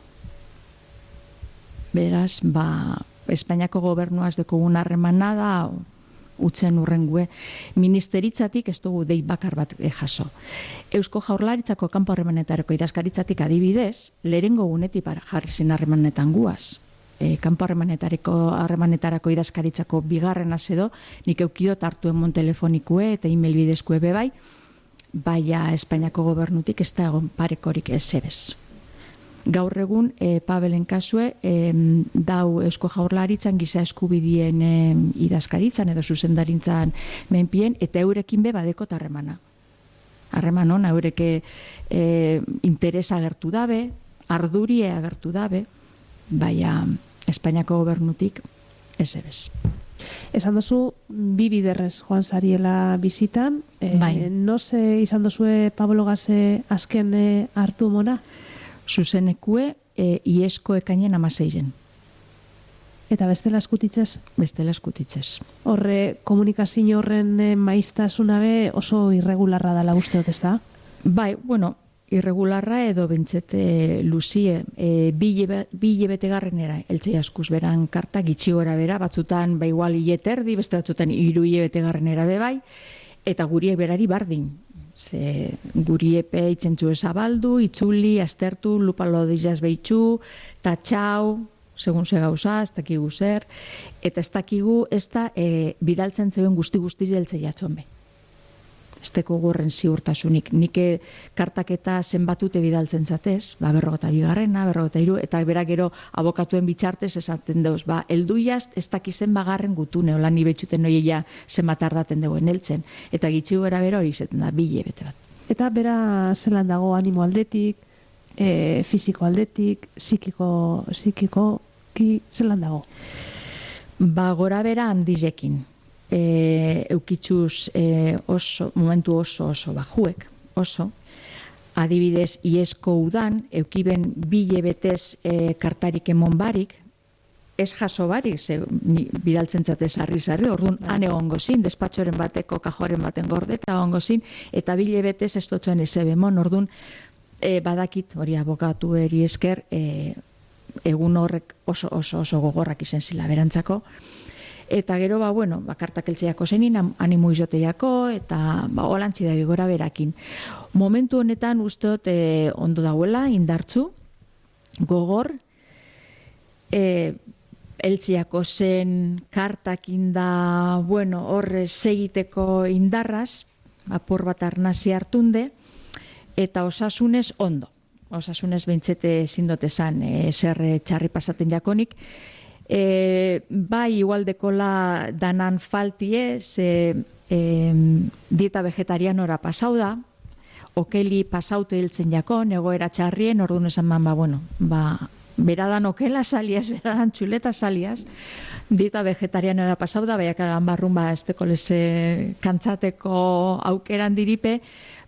Beraz, ba, Espainiako gobernuaz dekogun harremana da, utzen urrengue, ministeritzatik ez dugu dei bakar bat jaso. Eusko Jaurlaritzako kanpo harremanetarako idazkaritzatik adibidez, lehengo gunetik jarri zen harremanetan guaz. E, kanpo harremanetarako harremanetarako idazkaritzako bigarren azedo, nik eukidot hartuen mon telefonikue eta email bidezkue bebai, baina Espainiako gobernutik ez da egon parekorik ezebez. Gaur egun, e, Pabelen kasue, e, dau Eusko Jaurlaritzan giza eskubidien e, idazkaritzan edo zuzendarintzan menpien, eta eurekin be badeko harremana. Harreman hona, eureke e, interesa agertu dabe, ardurie agertu dabe, baina Espainiako gobernutik ez ebez. Esan dozu, bi biderrez joan zariela bizitan, e, bai. Noze izan dozue Pablo Gaze azken e, hartu mona? Zuzenekue e, iesko ekainen amaseiren. Eta bestela eskutitzez? Bestela eskutitzez. Horre, komunikazio horren e, maiztasuna be oso irregularra dala usteot, ez da? Bai, bueno, irregularra edo bentsete luzie, e, bi hilebetegarrenera eltzei askuz beran karta, gitxi gora bera, batzutan ba igual hileterdi, beste batzutan hiru hilebetegarrenera be bai, eta guriek berari bardin. Ze guriepe itzentzu ezabaldu, itzuli, aztertu, lupalo dizaz behitxu, tatxau, segun ze gauza, ez dakigu zer, eta ez dakigu ez da e, bidaltzen zeuen guzti-guzti jeltzei atzon be. Ez teko gorren ziurtasunik. Nik kartaketa zenbatute bidaltzen zatez, ba, berrogota bigarrena, berrogota hiru, eta berak gero abokatuen bitxartez esaten dauz, ba, elduiaz ez dakizen bagarren gutune, hola ni betxuten noieia zenbat ardaten dagoen heltzen. Eta gitxigu era bero hori izaten da, bile bete bat. Eta bera zelan dago animo aldetik, e, fisiko aldetik, psikiko, psikikoki zelan dago? Ba, gora bera handizekin. E, eukitzuz e, oso, momentu oso oso bajuek, oso. Adibidez, iesko udan, eukiben bile betez e, kartarik emon barik, ez jaso barik, ze, ni, bidaltzen zatez harri-zarri, orduan han egongo zin, despatxoren bateko, kajoren baten gordeta egongo zin, eta bile betez ez dutxoen ezebemon, orduan e, badakit, hori abokatu eri esker, e, egun horrek oso oso oso gogorrak izen zila berantzako. Eta gero, ba, bueno, ba, kartak eltzeiako zenin, animo izoteiako, eta ba, holantzi da bigora berakin. Momentu honetan usteot e, ondo dauela, indartzu, gogor, e, eltzeiako zen kartakin da, bueno, horre segiteko indarraz, apur bat arnazi hartunde, eta osasunez ondo. Osasunez behintzete zindotezan e, zer txarri pasaten jakonik, E, bai igualdekola danan faltie, ze e, dieta vegetarianora pasau da, okeli pasaute hiltzen jakon, egoera txarrien, orduan esan man, ba, bueno, ba, beradan okela saliaz, beradan txuleta saliaz, dieta vegetarianora pasau da, baiak eran barrun, ba, ez teko leze kantzateko aukeran diripe,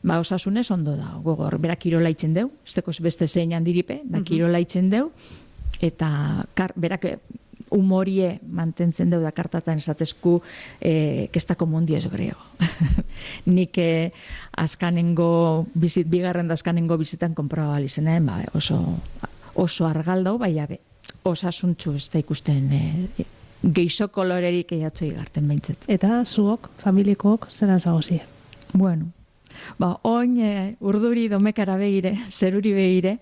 ba, osasunez ondo da, gogor, berak kirola itzen deu, ez teko beste zeinan diripe, ba, kirola itzen deu, eta kar, berak humorie mantentzen deu da kartatan esatezku eh, kestako mundiez griego. Nik eh, askanengo bizit, bigarren da askanengo bizitan konprobabal izenean, ba, oso, oso argaldau, bai abe, osasuntxu ez da ikusten eh, geixo kolorerik eiatzei garten behintzet. Eta zuok, familikook, zelan zagozie? Bueno, ba, oin eh, urduri domekara begire, zeruri begire,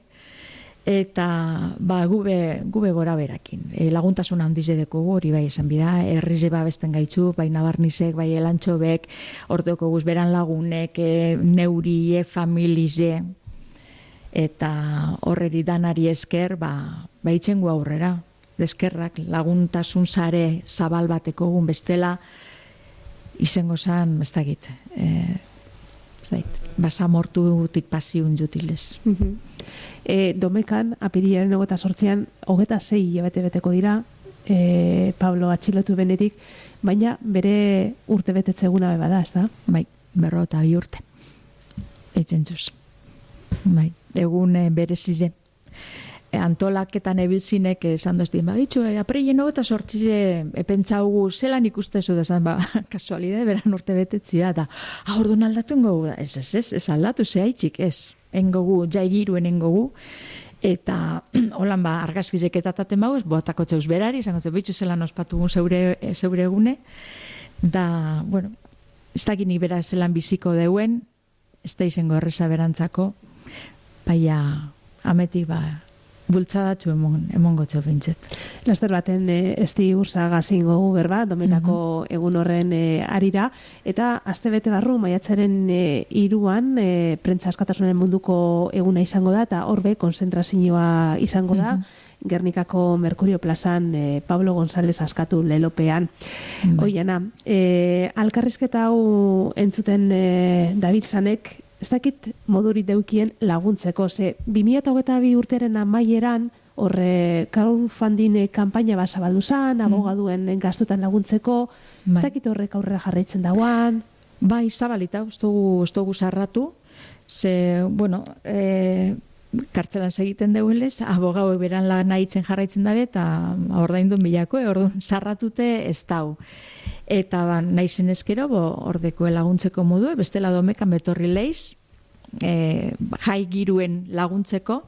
eta ba, gube, gube gora berakin. E, laguntasuna handize deko hori bai esan bida, herrize babesten gaitzu, bai nabarnizek, bai elantxobek, orteoko guz beran lagunek, e, neurie, familize, eta horreri danari esker, ba, ba itxengu aurrera. Eskerrak laguntasun sare zabal bateko gun bestela, izango zan, ez dakit, e, ez dakit, basamortutik pasiun jutilez. Mhm. E, domekan, apirilaren hogeta sortzean, hogeta zei hilabete beteko dira, e, Pablo atxilotu benetik, baina bere urte betetzeguna beba da, ez da? Bai, berro eta bi urte. Eitzen zuz. Bai, egun e, berezize. E, antolaketan ebilzinek esan doztien, ba, bitxu, e, aprilen hogeta sortzize e, pentsaugu zelan ikustezu da, zan, ba, kasualidade, beran urte betetzia, eta ahordun aldatu ingogu da, ez, ez, ez, ez aldatu, zehaitxik, ez. Engogu, jaigiruen engogu, eta holan ba, argazkizek eta taten bau, ez boatako txeuz berari, izango txeuz bitxu zelan ospatugun zeure, zeure egune, da, bueno, ez dakinik bera zelan biziko deuen, ez da izango erreza berantzako, baina ametik ba, bultzadatxu emon, emongo txopintzet. Laster baten e, esti ursaga zingo gu berba, dometako egun horren e, arira, eta astebete barru maiatzaren e, iruan e, prentza askatasunaren munduko eguna izango da, eta horbe konzentrazioa izango da, Gernikako Merkurio plazan e, Pablo González askatu lelopean. Mm. Oiana, e, alkarrizketa hau entzuten e, David Sanek, ez dakit modurik deukien laguntzeko, ze bi mila hogeita bi urtearen amaieran, horre crowdfunding kanpaina bat zabaldu zan, abogaduen gastutan laguntzeko, ez dakit horrek aurrera jarraitzen dauan? Bai, zabalita, ez dugu sarratu, ze, bueno, e, kartzelan segiten deuelez, abogau beran lan nahitzen jarraitzen dabe, eta ordaindun bilako, e, orduan sarratute ez dau. Eta ba, nahi zenezkero, ordeko laguntzeko modu, bestela domekan betorri leiz, e, jai giruen laguntzeko,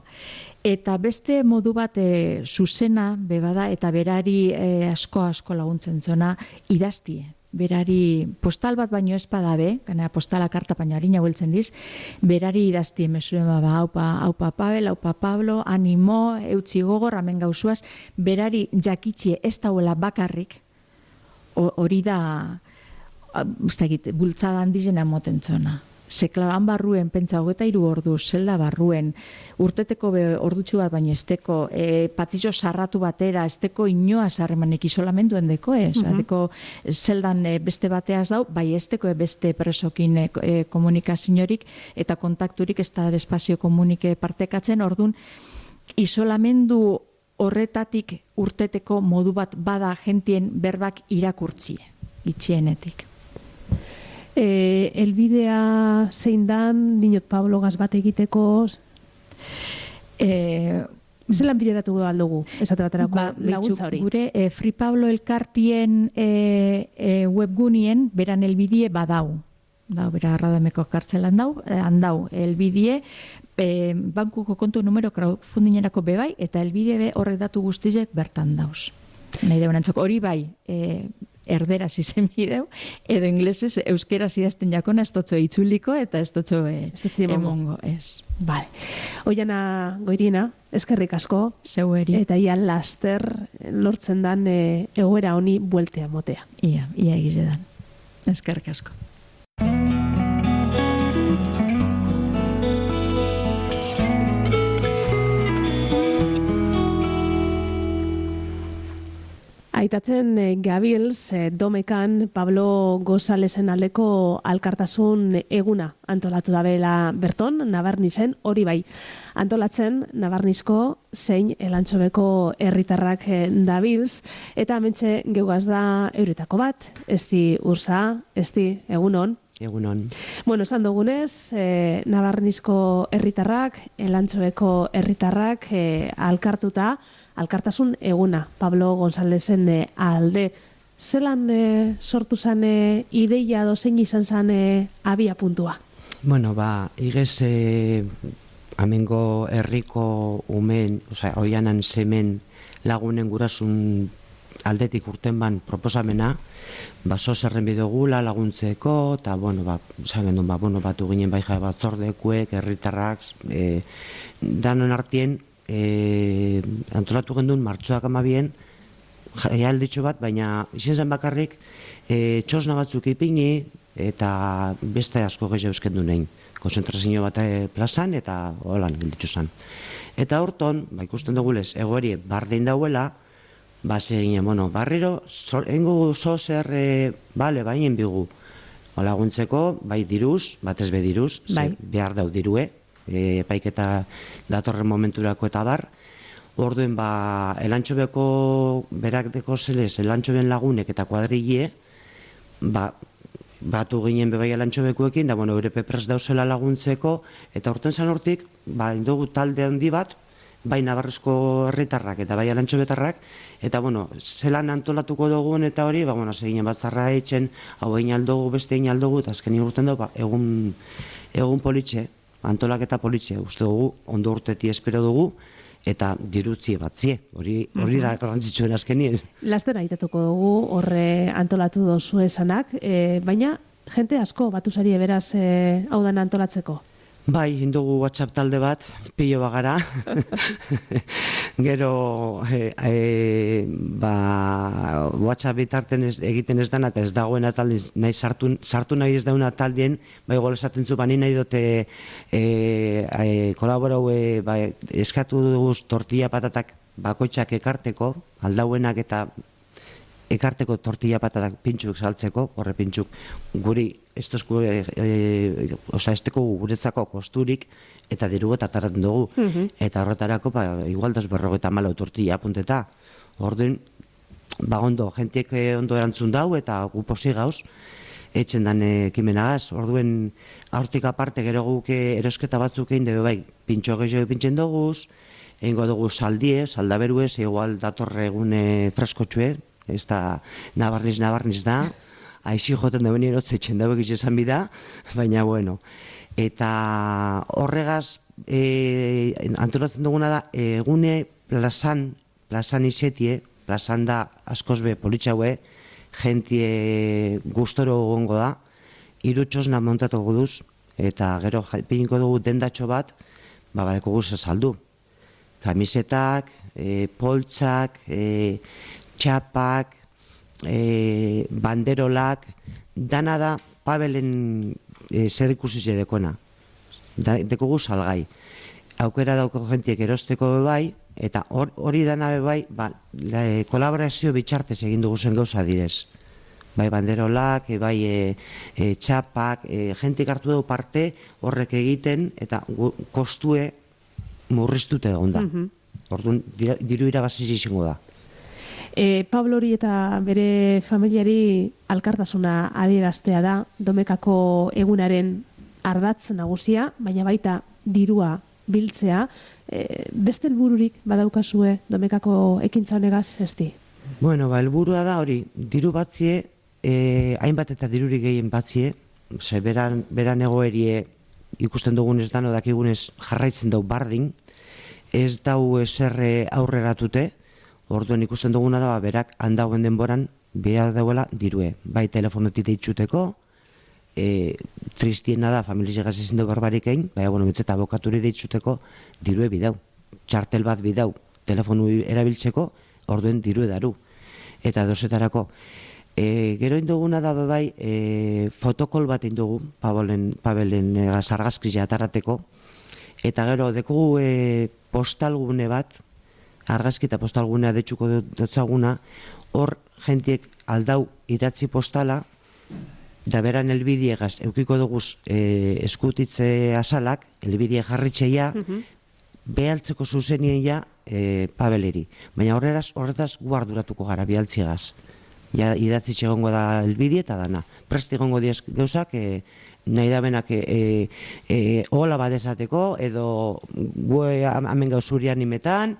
eta beste modu bat e, zuzena, bebada, eta berari e, asko-asko laguntzen zona, idaztie. Berari postal bat baino ez badabe, gana postala karta baino harina hueltzen diz, berari idaztie mesuen baba, haupa, haupa Pavel, haupa Pablo, animo, eutzi gogor, amen gauzuaz, berari jakitxie ez dauela bakarrik, hori da, ez da egite, bultzada handizena moten zona. Zeklaran barruen, pentsa hogeta iru ordu, zelda barruen, urteteko ordutxu bat baina esteko, e, patizio sarratu batera, esteko inoa sarremanek isolamenduen deko, ez? Uh -huh. Deko zeldan e, beste bateaz dau, bai esteko e, beste presokin e, e, komunikaziorik eta kontakturik ez da espazio komunike partekatzen, ordun isolamendu horretatik urteteko modu bat bada jentien berbak irakurtzie, itxienetik. E, elbidea zein dan, dinot Pablo gaz bat egiteko, e, zelan bideratu aldugu, esate baterako ba, laguntza hori? Gure e, Free Pablo elkartien e, e, webgunien beran elbidie badau. Dau, bera Arradameko kartzelan dau, handau, elbidie, e, bankuko kontu numero crowdfundingerako bebai, eta elbidie be horrek datu guztizek bertan dauz. Nahi deuen antzoko, hori bai, e, erderaz izen bideu, edo inglesez euskeraz idazten jakona ez dotzo itzuliko eta ez dotzo e, emongo, ez. Vale. Oiana Goiriena, eskerrik asko. Zeueri. Eta ia laster lortzen dan e, egoera honi bueltea motea. Ia, ia egize dan. Eskerrik asko. Aitatzen e, gabilz e, domekan Pablo Gonzalezen aldeko alkartasun eguna antolatu dabela berton, Nabarnizen, hori bai. Antolatzen Nabarnizko zein Elantxobeko herritarrak e, dabilz, eta hementxe geugaz da euretako bat, ezti ursa, ezti egunon. Egunon. Bueno, esan dugunez, e, Nabarnizko herritarrak, Elantxobeko herritarrak e, alkartuta, alkartasun eguna, Pablo Gonzalezen e, alde. Zelan e, sortu zan e, ideia dozein izan zan e, abia puntua? Bueno, ba, igez e, amengo herriko umen, osea, oianan semen lagunen gurasun aldetik urten ban proposamena, ba, zerren bidogula laguntzeko, eta, bueno, ba, zagen duen, ba, bueno, batu ginen bai jai batzordekuek, herritarrak, e, danon artien, E, antolatu gendun martxoak amabien jaialditxo bat, baina izan zen bakarrik e, txosna batzuk ipini eta beste asko gehi euskendu nein konzentrazio bat e, plazan eta holan gilditxo zen. Eta horton, ba, ikusten dugulez, egoeri bardin dauela, ba, zegine, bueno, barriro, engu zozer, e, bale, bainen bigu, laguntzeko, bai diruz, batez be diruz, bai. Behar dau dirue, E, epaiketa datorren momenturako eta bar. Orduen ba Elantxobeko berak deko zelez, Elantxoben lagunek eta kuadrille ba, batu ginen bebai Elantxobekuekin, da bueno, Eurepe prest dauzela laguntzeko, eta horten zan hortik, ba, indogu talde handi bat, bai Nabarrezko herritarrak eta bai Elantxobetarrak, eta bueno, zelan antolatuko dugun eta hori, ba, bueno, seginen batzarra etxen, hau egin aldogu, beste egin aldogu, eta azken urten dugu, ba, egun, egun politxe, antolak eta politxe, uste dugu, ondo urteti espero dugu, eta dirutzie batzie, hori, hori da garrantzitsuen azkenien. Laster aitatuko dugu, horre antolatu dozu esanak, e, baina jente asko batu zari beraz e, hau dana antolatzeko? Bai, indugu WhatsApp talde bat, pilo bagara. Gero, e, e, ba, WhatsApp bitarten ez, egiten ez dana, eta ez dagoen ataldi, nahi sartu, sartu nahi ez dauna ataldien, bai gola esaten zu, bani nahi dute e, e, kolaborau, e, ba, eskatu dugu tortilla patatak bakoitzak ekarteko, aldauenak eta ekarteko tortilla patatak pintxuk saltzeko, horre pintxuk guri, estozku, e, e, oza, esteko guretzako kosturik, eta diru eta tarraten dugu. Uh-huh. Eta horretarako, ba, igual das berrogeta malo tortilla apunteta. Orduan, ba ondo, jentiek ondo erantzun dau, eta gu posi gauz, etxen dan ekimenagaz. Orduen, aurtik aparte, gero guk erosketa batzuk egin dugu, bai, pintxo gehiago pintzen duguz, egingo dugu saldie, saldaberuez, igual datorre egune freskotxue, ez da nabarniz, nabarniz da, aixi joten dauen erotze etxen dago egitzen bida, baina bueno. Eta horregaz, e, antolatzen duguna da, egune plazan, plazan izetie, plazan da askoz be politxaue, jentie gustoro gongo da, irutxosna montatuko duz, eta gero piniko dugu dendatxo bat, ba, badeko guz saldu. Kamisetak, e, poltsak, e, txapak, e, banderolak, dana da Pabelen e, zer ikusiz edekona. Da, dekogu salgai. Aukera dauko jentiek erosteko bai, eta hori or, dana bai, ba, la, e, kolaborazio bitxartez egin dugu zen gauza direz. Bai banderolak, e, bai e, e, txapak, e, jentik hartu dugu parte horrek egiten, eta gu, kostue murriztute egon da. Mm-hmm. Orduan, diru irabaziz izango da. E, Pablo hori eta bere familiari alkartasuna adieraztea da, Domekako egunaren ardatz nagusia, baina baita dirua biltzea. E, beste helbururik badaukazue Domekako ekintza honegaz, ezti? Bueno, ba, helburua da hori, diru batzie, e, hainbat eta dirurik gehien batzie, ze beran, beran egoerie ikusten dugunez dano dakigunez jarraitzen dau bardin, ez dau eserre aurreratute, orduan ikusten duguna da, berak handagoen denboran behar dauela dirue. Bai telefonotik deitxuteko, e, tristiena da, familiz egaz ezin dugu barbarik egin, bai, bueno, betzeta abokaturi deitxuteko, dirue bidau. Txartel bat bidau, telefonu erabiltzeko, orduen dirue daru. Eta dozetarako. E, gero induguna da, bai, e, fotokol bat indugu, Pabelen, Pabelen e, argazkizia atarrateko, eta gero, dekogu e, postalgune bat, argazki eta postalgunea detxuko dotzaguna, hor jentiek aldau idatzi postala, da beran elbidiegaz, eukiko duguz e, eskutitze asalak, elbidie jarritxeia, uh-huh. behaltzeko zuzenien ja e, Pabeleri. Baina horretaz, horretaz guarduratuko gara behaltziegaz. Ja idatzi txegongo da elbidie eta dana. Presti gongo diaz gauzak, e, nahi da benak e, e, hola badezateko, edo gue amen gauzurian imetan,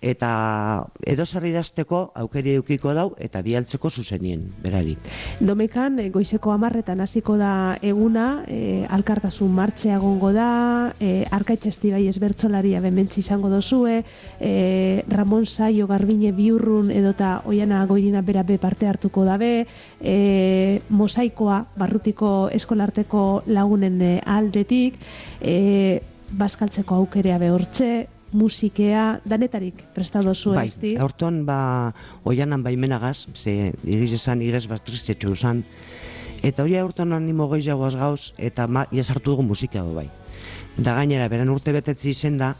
eta edo zer idazteko aukeri eukiko dau eta bialtzeko zuzenien, berari. Domekan, goizeko hamarretan hasiko da eguna, e, alkartasun martxea gongo da, e, Arkaitz bai ezbertzolaria bementsi izango dozue, e, Ramon Saio Garbine Biurrun edota Oiana Goirina berabe parte hartuko dabe, e, mosaikoa barrutiko eskolarteko lagunen e, aldetik, e, bazkaltzeko aukerea behortxe, musikea, danetarik prestado zuen, bai, ezti? Bai, horton, ba, oianan baimenagaz, ze iriz esan, iriz bat tristetxo esan, eta hori horton animo gehiagoaz gauz, eta ma, iazartu dugu musika bai. Da gainera, beran urte betetzi izen da,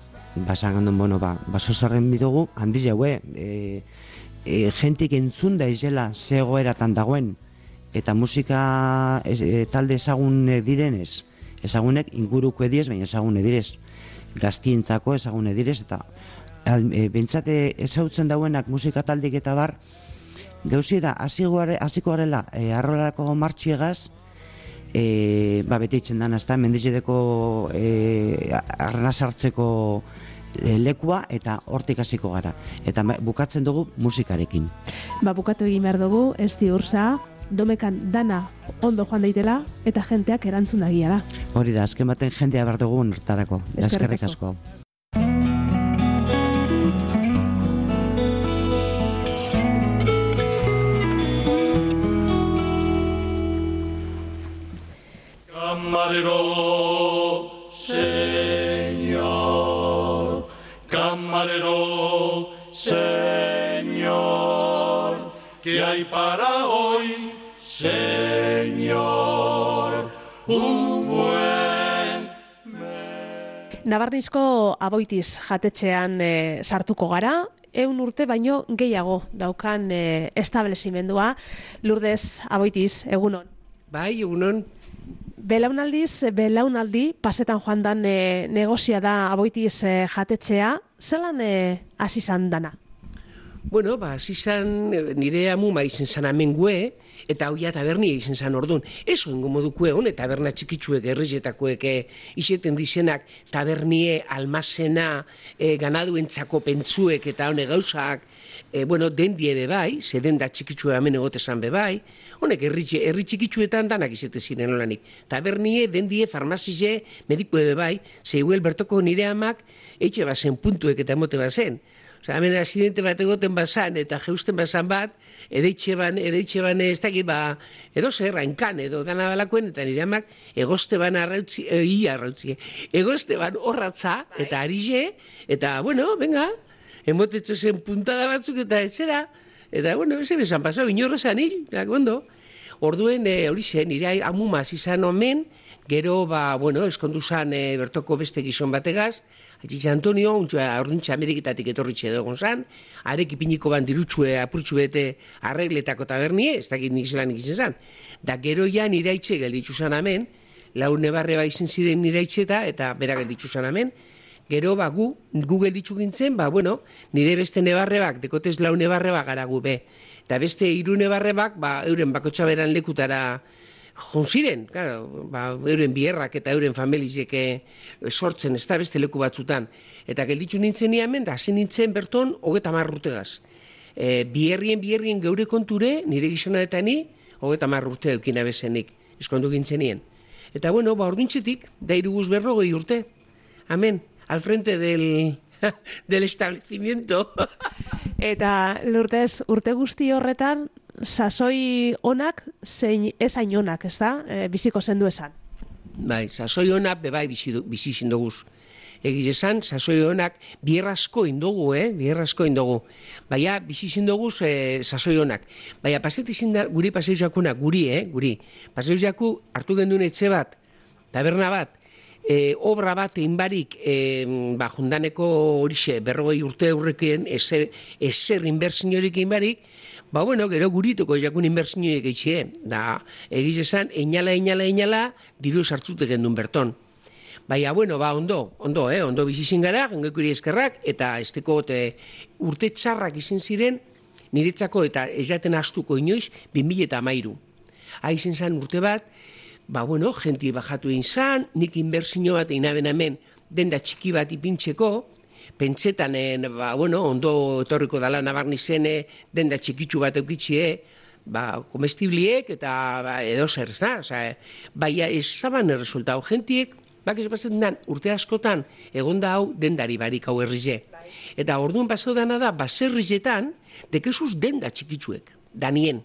basan gandun, bueno, ba, baso zarren bidugu, handiz jaue, e, e, jentik entzun da izela zegoeratan dagoen, eta musika e, talde ezagun direnez, ezagunek inguruko ediez, baina ezagun edirez. Gaztientzako ezagune direz, eta e, bentsate ezautzen dauenak musika taldik eta bar, gauzi da, hasiko garela e, arrolarako martxiegaz, e, ba, beti itxen dana, ezta, mendizideko e, arna sartzeko e, lekua, eta hortik hasiko gara. Eta bukatzen dugu musikarekin. Ba, bukatu egin behar dugu, ez di urza, Domekan dana ondo joan daitela eta jenteak erantzun dagia da. Hori da, azken baten jentea behar dugu nortarako. Eskerrik asko. Camarero Señor, camarero, Señor, ¿qué hay para hoy, Señor? Un buen Nabarnizko Aboitiz jatetxean e, sartuko gara, eun urte baino gehiago daukan e, establezimendua. Lourdes Aboitiz, egunon. Bai, egunon. Belaunaldiz, belaunaldi, pasetan joan dan e, negozia da Aboitiz e, jatetxea, zelan e, hasi zan dana? Bueno, ba, hasi zan nire amuma izen zan amengue, eta hoia tabernia izen zan orduan. Ez oengo modukue hon, taberna txikitsuek, errezetakoek izeten dizenak, tabernie, almazena, e, ganaduentzako pentsuek eta hone gauzak, e, bueno, dendie bebai, ze denda txikitsue hemen egotezan bebai, honek herri, herri txikitsuetan danak izete ziren olanik. Tabernie, dendie, farmazize, medikue bebai, ze iguel bertoko nire amak, eitxe bazen puntuek eta emote bazen. Osa, hemen asidente bat egoten bazan, eta jeusten bazan bat, edeitxe ban, edeitxe ban ez dakit, ba, edo zer, hainkan, edo dana balakoen, eta nire amak, egoste ban arrautzi, e, ia arrautzi, egoste ban horratza, eta arize, eta, bueno, venga, emotetzo zen puntada batzuk, eta etzera, eta, bueno, eze bezan pasau, inorra zan hil, ondo. Orduen, e, hori zen, nire amumaz izan omen, gero, ba, bueno, eskondu zan e, bertoko beste gizon bategaz, Atxitxe Antonio, orduntxe Ameriketatik etorritxe egon zan, arek ipiniko ban dirutxue apurtxu bete arregletako tabernie, ez dakit nik zelan ikizen zan. Da gero ja niraitxe gelditzu zan amen, lau nebarre ba izen ziren niraitxeta, eta bera gelditzu zan amen, gero ba gu, gu gelditzu gintzen, ba bueno, nire beste nebarre bak, dekotez lau nebarre bak gara gu be. Eta beste hiru nebarre bak, ba euren bakotxa beran lekutara jonziren, claro, ba, euren bierrak eta euren familizek sortzen, ez da beste leku batzutan. Eta gelditzu nintzen niamen, da hasi nintzen berton hogeta marrutegaz. E, bierrien, bierrien geure konture, nire gizona eta ni, hogeta marrurte eukina bezenik, eskondu gintzen nien. Eta bueno, ba orduntzetik, da iruguz berrogei urte, amen, al frente del, del establecimiento. Eta Lourdes, urte guzti horretan, sasoi onak zein ez hain onak, ez da? E, biziko zendu esan. Bai, sasoi onak bebai bizi, bizi zindoguz. Egiz esan, sasoi onak bierrasko indogu, eh? Bierrasko indogu. Baina, bizi zindoguz e, sasoi onak. Baina, paseti zindar, guri paseiz jakunak, guri, eh? Guri. Paseiz jaku hartu genduen etxe bat, taberna bat, e, obra bat einbarik, e, ba, jundaneko horixe, berrogei urte aurrekien, ezer, ezer inbertsiorik einbarik, ba, bueno, gero gurituko jakun inbertsioiek eitxie, da, egiz esan, einala, einala, einala, diru sartzute gendun berton. Baina, bueno, ba, ondo, ondo, eh, ondo bizizin gara, jengekuri eskerrak, eta esteko te, urte txarrak izin ziren, niretzako eta ez jaten astuko inoiz, bin mila eta amairu. Haizen zan urte bat, ba, bueno, jenti bajatu egin zan, nik inbertsio bat egin aben hemen, denda txiki bat ipintzeko, pentsetan, ba, bueno, ondo etorriko dala Nabarnizene, denda txikitsu bat eukitxie, ba, komestibliek eta ba, edo zer, ez da? Osa, baina ez zaban erresultau. Gentiek, bak ez pasetan dan, urte askotan, egonda hau dendari barik hau errize. Eta orduan pasau dana da, baserrizetan, dekezuz denda txikitsuek, danien.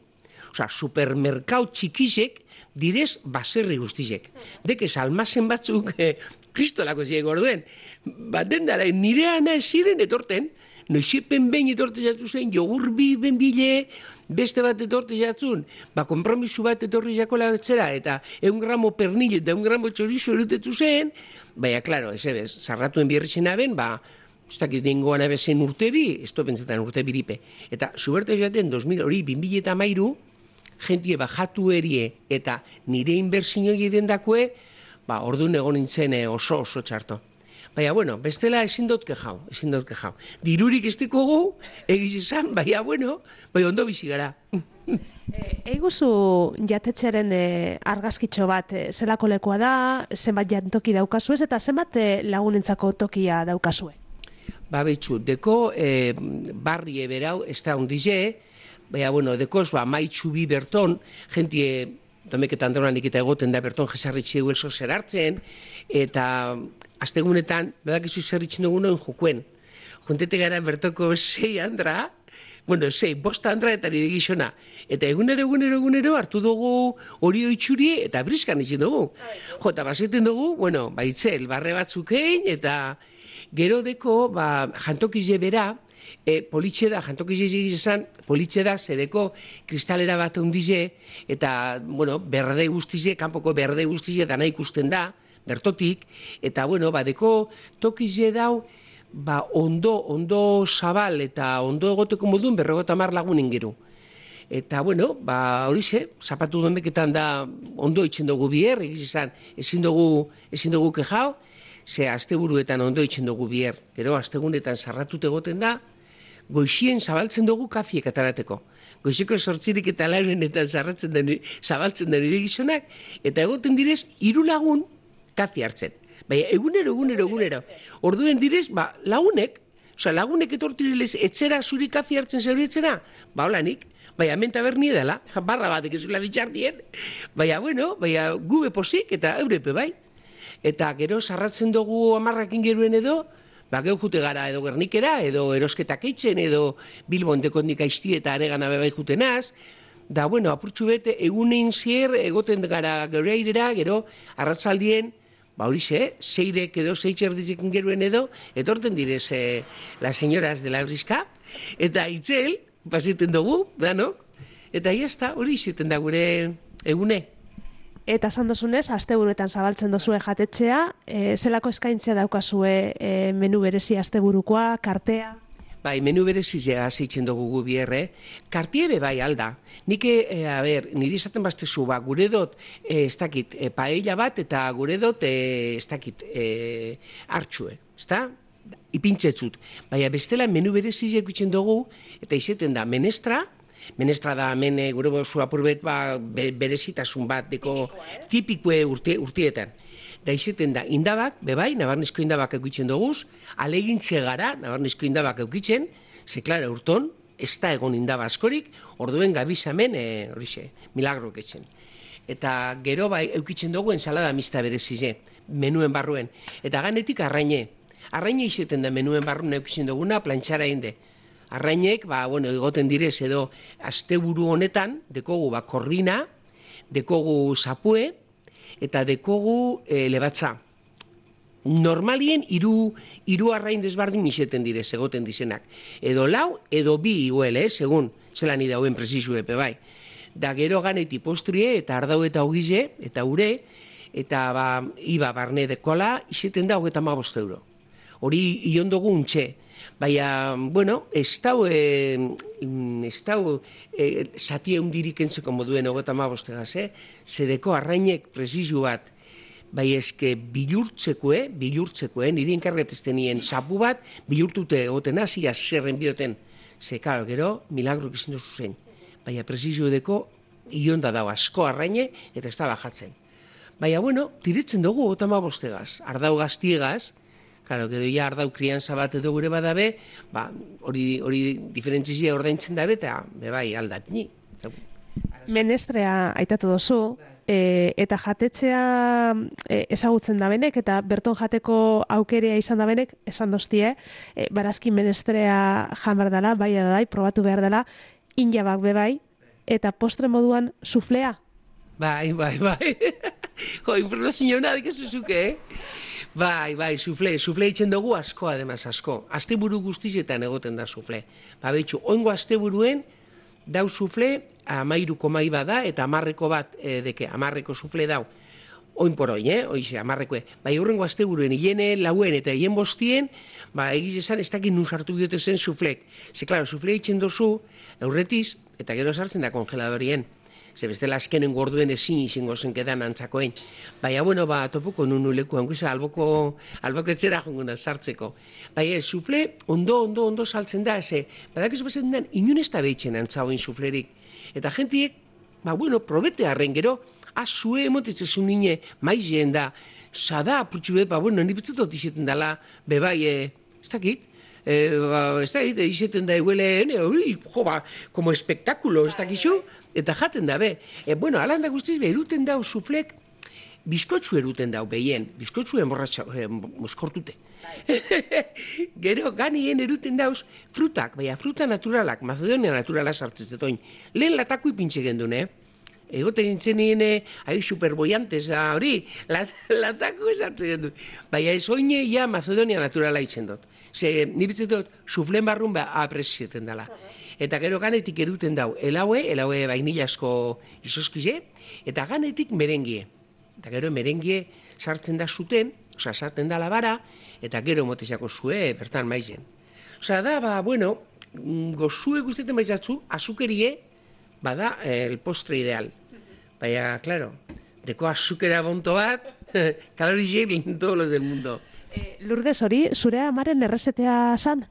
Osa, supermerkau txikizek, direz baserri guztizek. Dekez almazen batzuk, eh, kristolako ziek orduen, ba, dendara, nire ana ziren etorten, noizepen behin etorte jatzu zen, jogurbi benbile, beste bat etorte jatzun, ba, kompromisu bat etorri jakola etzera, eta egun gramo pernil eta egun gramo txorizo erutetzu zen, baina, klaro, ez ebez, zarratuen bierritzen aben, ba, ez dakit dengoan abezen urte bi, ez to pentsetan urte biripe. Eta, zuberte jaten, dos mil hori, bin mila eta mairu, jentie bajatu erie, eta nire inbertsioi dendakue, ba, orduan egon nintzen oso oso txarto. Baina, bueno, bestela ezin dut kejau, ezin dut kejau. Dirurik ez dekogu, egiz esan, baina, bueno, baina ondo bizi gara. Eiguzu jatetxearen e, argazkitxo bat, e, zelako lekoa da, zenbat jantoki daukazue, eta zenbat e, lagunentzako tokia daukazue? Ba, betxu, deko e, barri eberau, ez da ondize, baina, bueno, dekoz, ba, maitxu bi berton, jentie, domeketan daunanik eta egoten da berton jesarritxe duelso zer hartzen, eta astegunetan, badakizu zerritzen dugunen jokuen. Juntete gara bertoko sei handra, bueno, zei, bosta andraetan nire gizona. Eta egunero, egunero, egunero hartu dugu hori oitxuri eta briskan izin dugu. Jo, eta bazeten dugu, bueno, baitzel, barre batzukein, eta gero deko, ba, jantokize bera, e, politxe da, jantokize egizan, politxe da, zedeko kristalera bat ondize, eta, bueno, berde guztize, kanpoko berde guztize, dana ikusten da, bertotik, eta, bueno, badeko tokize dau, ba, ondo, ondo zabal eta ondo egoteko modun berrogota mar lagun ingeru. Eta, bueno, ba, horixe, zapatu donbeketan da ondo itxen dugu bier, egiz izan, ezin dugu, ezin dugu kejao, ze asteburuetan ondo itxen dugu bier. Gero, astegunetan sarratut egoten da, goixien zabaltzen dugu kafiek atarateko. Goizeko sortzirik eta laurenetan zarratzen den, zabaltzen den nire gizonak, eta egoten direz, hiru lagun kafi hartzen. Baina, egunero, egunero, egunero. Orduen direz, ba, lagunek, oza, lagunek etortirelez etxera zuri kafi hartzen zerbietzena, ba, holanik, baina, menta berni edala, barra batek ezula bitxartien, baina, bueno, baina, gube posik eta eurepe, bai. Eta gero, sarratzen dugu amarrakin geruen edo, ba, geu jute gara edo Gernikera, edo erosketak eitzen, edo Bilbon dekondik aizti eta aregana bebai jutenaz, da, bueno, apurtxu bete, egunein zier, egoten gara gero airera, gero, arratzaldien, ba horixe, zeirek edo zeitxerdizekin geruen edo, etorten direz eh, las señoras de la Brisca, eta itzel, pasiten dugu, danok, eta iazta, hori izeten da gure egune. Eta esan dozunez, asteburuetan zabaltzen dozue jatetxea, e, zelako eskaintzea daukazue e, menu berezi asteburukoa, kartea? Bai, menu berezizea zeitzen dugu gu bierre, kartiebe bai alda. Nik, e, a ber, niri izaten baztezu, ba, gure dut, e, ez dakit, e, paella bat, eta gure dut, e, ez dakit, e, hartxue, ez da? Ipintzetzut. Baina bestela menu berezizea ikutzen dugu, eta izeten da menestra, menestra da hemen gure bozu apurbet ba, be, berezitasun bat, deko tipikue urte, urtietan. Da izeten da, indabak, bebai, nabarnizko indabak eukitzen duguz, alegintze gara, nabarnizko indabak eukitzen, ze, klara, urton, ez da egon indaba askorik, orduen gabizamen, e, horixe, milagrok etzen. Eta gero, bai, eukitzen dugu ensalada mista berezize, menuen barruen. Eta ganetik arraine. Arraine izeten da menuen barruen eukitzen duguna, plantxara inde. Arrainek, ba, bueno, egoten direz edo, asteburu honetan, dekogu, ba, korrina, dekogu zapue, eta dekogu e, lebatza. Normalien hiru hiru arrain desbardin izeten direz, egoten dizenak. Edo lau, edo bi iguel, eh, segun, zelan idauen presizu epe bai. Da gero ganeti postrie, eta ardau eta ogize, eta ure, eta ba, iba barne dekola, izeten da hogeta mabost euro. Hori iondogu untxe. Baina, bueno, ez dau, e, ez dau, e, zati eundirik entzeko moduen hogeta mabostegaz, eh? Zedeko arrainek presizu bat, bai ezke bilurtzekoe, bilurtzekoe, niri enkargetezten nien sapu bat, bilurtute egoten hasia zerren bioten. Ze, karo, gero, milagrok izin duzu zen. Baina presizu edeko, ionda dau asko arraine, eta ez da bajatzen. Baina, bueno, tiritzen dugu hogeta mabostegaz, ardau gaztiegaz, claro, gero ja ardau krianza bat edo gure badabe, ba, hori, hori diferentzizia ordaintzen dabe, eta bebai aldat ni. Menestrea aitatu dozu, e, eta jatetzea e, ezagutzen da benek, eta berton jateko aukerea izan da benek, esan doztie, e, barazki menestrea jamar dela, bai edadai, probatu behar dela, injabak bebai, eta postre moduan suflea. Bai, bai, bai. Jo, informazio nadik ez zuzuke, eh? Bai, bai, sufle, sufle itzen dugu asko, ademaz asko. Asteburu guztizetan egoten da sufle. Ba, betxu, oingo asteburuen, dau sufle, amairuko mai bada, eta amarreko bat, e, deke, amarreko sufle dau. Oin por oin, eh? Oize, amarrekoe. Bai, horrengo asteburuen, hiene lauen eta hien bostien, ba, egiz esan, ez dakit nun sartu biote zen suflek. Ze, klaro, sufle itzen dozu, eurretiz, eta gero sartzen da kongeladorien. Ze bestela azkenen gorduen ezin izango zenkedan antzakoen. Baina, bueno, ba, topuko nunu lekuan, guza, alboko, alboko etxera jonguna sartzeko. Baina, sufle, ondo, ondo, ondo saltzen da, ze, badak ez bezaten den, inun ez da behitzen antzagoen suflerik. Eta jentiek, ba, bueno, probete harren gero, azue emotetzen nine, maizien da, zada, purtsu bet, ba, bueno, nipetzutot izeten dela, bebai, e, ez dakit, e, ba, ez dakit, izeten da eguele, hori, jo, ba, como espectáculo, ez dakizu, eta jaten da, be. E, bueno, alanda guztiz, be, eruten dau suflek, bizkotxu eruten dau, behien, bizkotxu emborratxa, eh, moskortute. Gero, ganien eruten dauz, frutak, baina fruta naturalak, Macedonia naturala sartzen zetoin. Lehen latako ipintxe gendun, eh? Egote gintzen nien, ahi superboiantez, hori, latako sartzen gendun. Baina ez oine, ja, Macedonia naturala itzen dut. Ze, nibitzen dut, suflen barrun ba, apresieten dela. Eta gero ganetik eruten dau, elaue, elaue bainilasko izoskize, eta ganetik merengie. Eta gero merengie sartzen da zuten, oza, sartzen da labara, eta gero moteziako zue, bertan maizen. Oza, da, ba, bueno, gozue guzteten maizatzu, azukerie, bada, el postre ideal. Baina, claro, deko azukera bonto bat, kalorizek todos los del mundo. E, Lourdes, hori, zure amaren errezetea zan?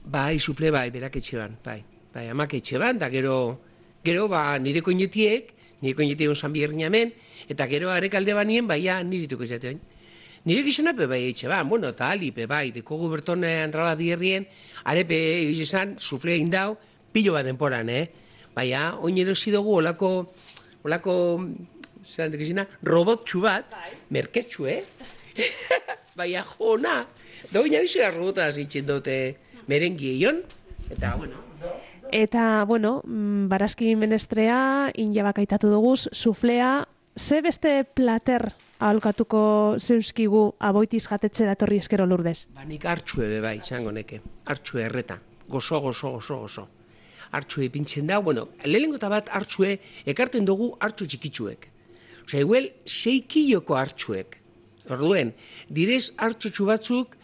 Bai, sufle bai, berak etxe ban, bai. Bai, amak etxe ban, da gero, gero, ba, nire koinetiek, nire koinetiek onzan bierniamen, eta gero arek alde banien, bai, ja, nirituko izateoin. Nire gizona pe bai etxe ban, bueno, eta ali pe bai, deko guberton andrala dierrien, arepe egizan, sufle indau, pilo bat denporan, eh? Bai, ja, oin erosi dugu olako, olako, zelan dekizina, robotxu bat, merketxu, eh? Bai, ja, jona, da oin abizera robotaz itxen dute merengieion, eta, bueno, Eta, bueno, barazki menestrea, injabak aitatu duguz, suflea, ze beste plater aholkatuko zeuskigu aboitiz jatetzera etorri eskero Lourdes? Ba, nik hartxue be bai, zango neke, hartxue erreta, gozo, gozo, gozo, gozo. Hartxue ipintzen da, bueno, lehenengo eta bat hartxue ekarten dugu hartxu txikitsuek. Osa, eguel, sei kiloko hartxuek. Orduen, direz hartxotxu batzuk,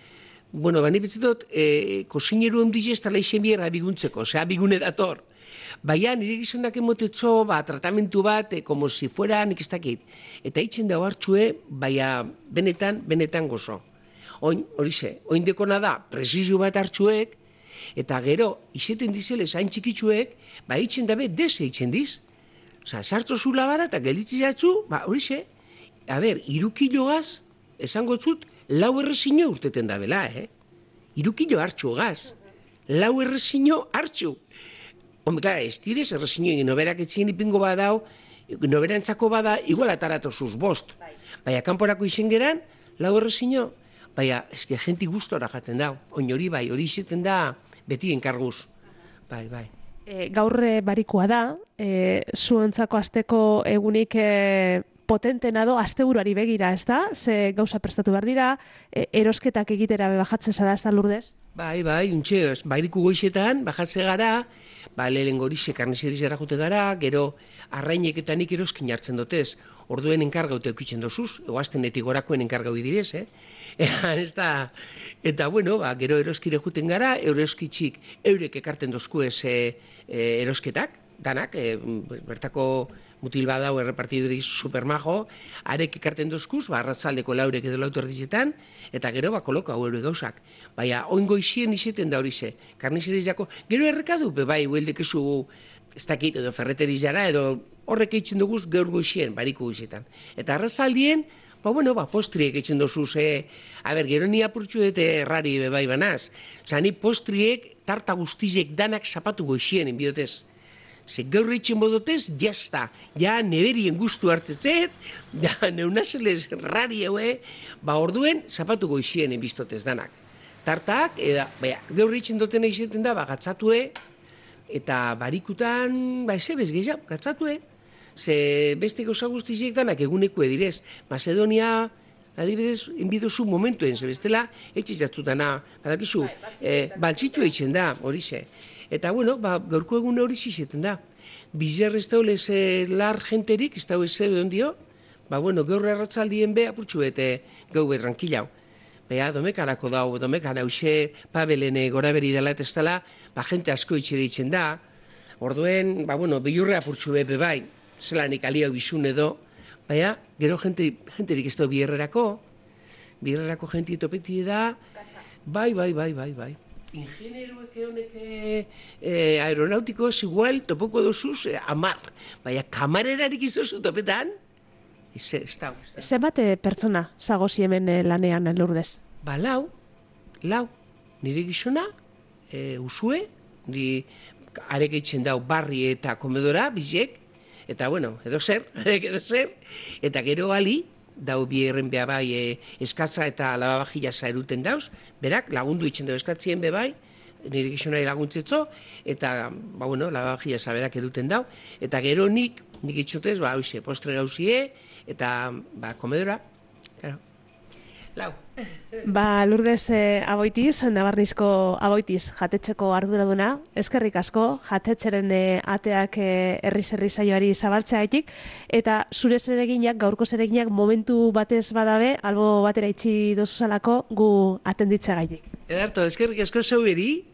bueno, bani betzetot, e, kosineru ondiz ez tala izen bierra biguntzeko, osea, bigune dator. Baina, nire gizonak emotetzo, ba, tratamentu bat, e, como si fuera, nik ez dakit. Eta itzen dago hartxue, baina, benetan, benetan gozo. Oin, hori ze, oin dekona da, presizu bat hartxuek, eta gero, izeten dizele zain txikitzuek, ba, itzen dabe, dese itzen diz. Osa, sartzo zula bara, eta gelitzi jatzu, ba, hori ze, a ber, irukilo gaz, esango zut, lau errezino urteten da bela, eh? Irukilo hartxu gaz. Lau errezino hartxu. Hombre, klar, ez direz errezino egin noberak etzien ipingo badau, noberantzako bada, igual atarato zuz bost. Baina, kanporako izen geran, lau errezino, baina, eske jenti gustora jaten dau. Oin hori bai, hori izeten da beti enkarguz. Bai, bai. E, gaur barikoa da, e, zuentzako asteko egunik e, potentena do, asteburuari begira, ez da? Ze gauza prestatu behar dira, e, erosketak egitera bajatzen zara, ez da Lourdes? Bai, bai, untxe, bairiku goizetan, bajatze gara, ba, lehen gorixe karnizerizera jute gara, gero arraineketan nik eroskin jartzen dotez, orduen enkargaute eukitzen dozuz, oaztenetik gorakoen enkargau idirez, eh? Eta, ez da, eta, bueno, ba, gero eroskire juten gara, eroskitzik eurek ekarten dozku ez e, e, erosketak, danak, e, bertako mutil badau errepartiduri supermajo, arek ekarten dozkuz, ba, arratzaldeko laurek edo lautu erdizetan, eta gero, ba, koloko hau eure gauzak. Baina, oingo izien izeten da hori ze, karnizerizako, gero errekadu, be, bai, hueldekezu, ez dakit, edo ferreterizara, edo horrek eitzen duguz gaur goizien, bariko goizetan. Eta arratzaldien, ba, bueno, ba, postriek eitzen dozuz, e, a ber, gero ni apurtxu dute errari, be, bai, banaz. Zani postriek, tarta guztizek danak zapatu goizien, enbiotez. Ze gaur eitzen bodotez, jazta, ja neberien guztu hartetzet, ja neunazeles rari haue, ba orduen zapatu goizien enbiztotez danak. Tartak, eda, baina, gaur eitzen dutena izeten da, ba, gatzatue, eta barikutan, ba, ez ebez gehiago, gatzatue. Ze beste gauza guztiziek danak eguneko edirez. Macedonia, adibidez, enbidozu momentuen, ze bestela, etxizatzu dana, badakizu, e, baltzitzu eitzen da, hori ze. Eta, bueno, ba, gaurko egun hori zizeten da. Bizer ez daulez e, lar jenterik, ez daulez zebe ondio, ba, bueno, gaur erratzaldien be, apurtxu bete gau be tranquilau. Bea, domekarako dau, domekan hause, pabelene gora beri dela eta ez dela, ba, jente asko itxere itzen da. Orduen, ba, bueno, bilurre apurtxu bebe bai, zelanik aliau bizun edo, baina, gero jente, jenterik ez da bierrerako, bierrerako jenti etopeti da, bai, bai, bai, bai, bai. Ingenieruek honek eh, aeronautikoz igual topoko dozuz eh, amar. Baina kamarerarik izozu topetan, ez ez da. Zenbat pertsona zagozi hemen eh, lanean Lourdes? Ba, lau, lau. Nire gizona, eh, usue, nire arek eitzen dau barri eta komedora, bizek, eta bueno, edo zer, arek edo zer, eta gero ali, dau bierren beha bai e, eskatza eta lababajila zaeruten dauz, berak lagundu itxen dauz eskatzien be bai, nire gizonari laguntzetzo, eta, ba, bueno, lababajila zaberak eduten dau, eta gero nik, nik itxotez, ba, hoxe, postre gauzie, eta, ba, komedora, claro. Lau. Ba, Lourdes eh, Aboitiz, Nabarnizko Aboitiz, jatetxeko arduraduna, eskerrik asko, jatetxeren eh, ateak eh, herri-zerri saioari zabaltzeagatik, eta zure zereginak, gaurko zereginak momentu batez badabe, albo batera itxi dozuzalako gu atenditzeagaitik. Edarto, eskerrik asko zeu eri,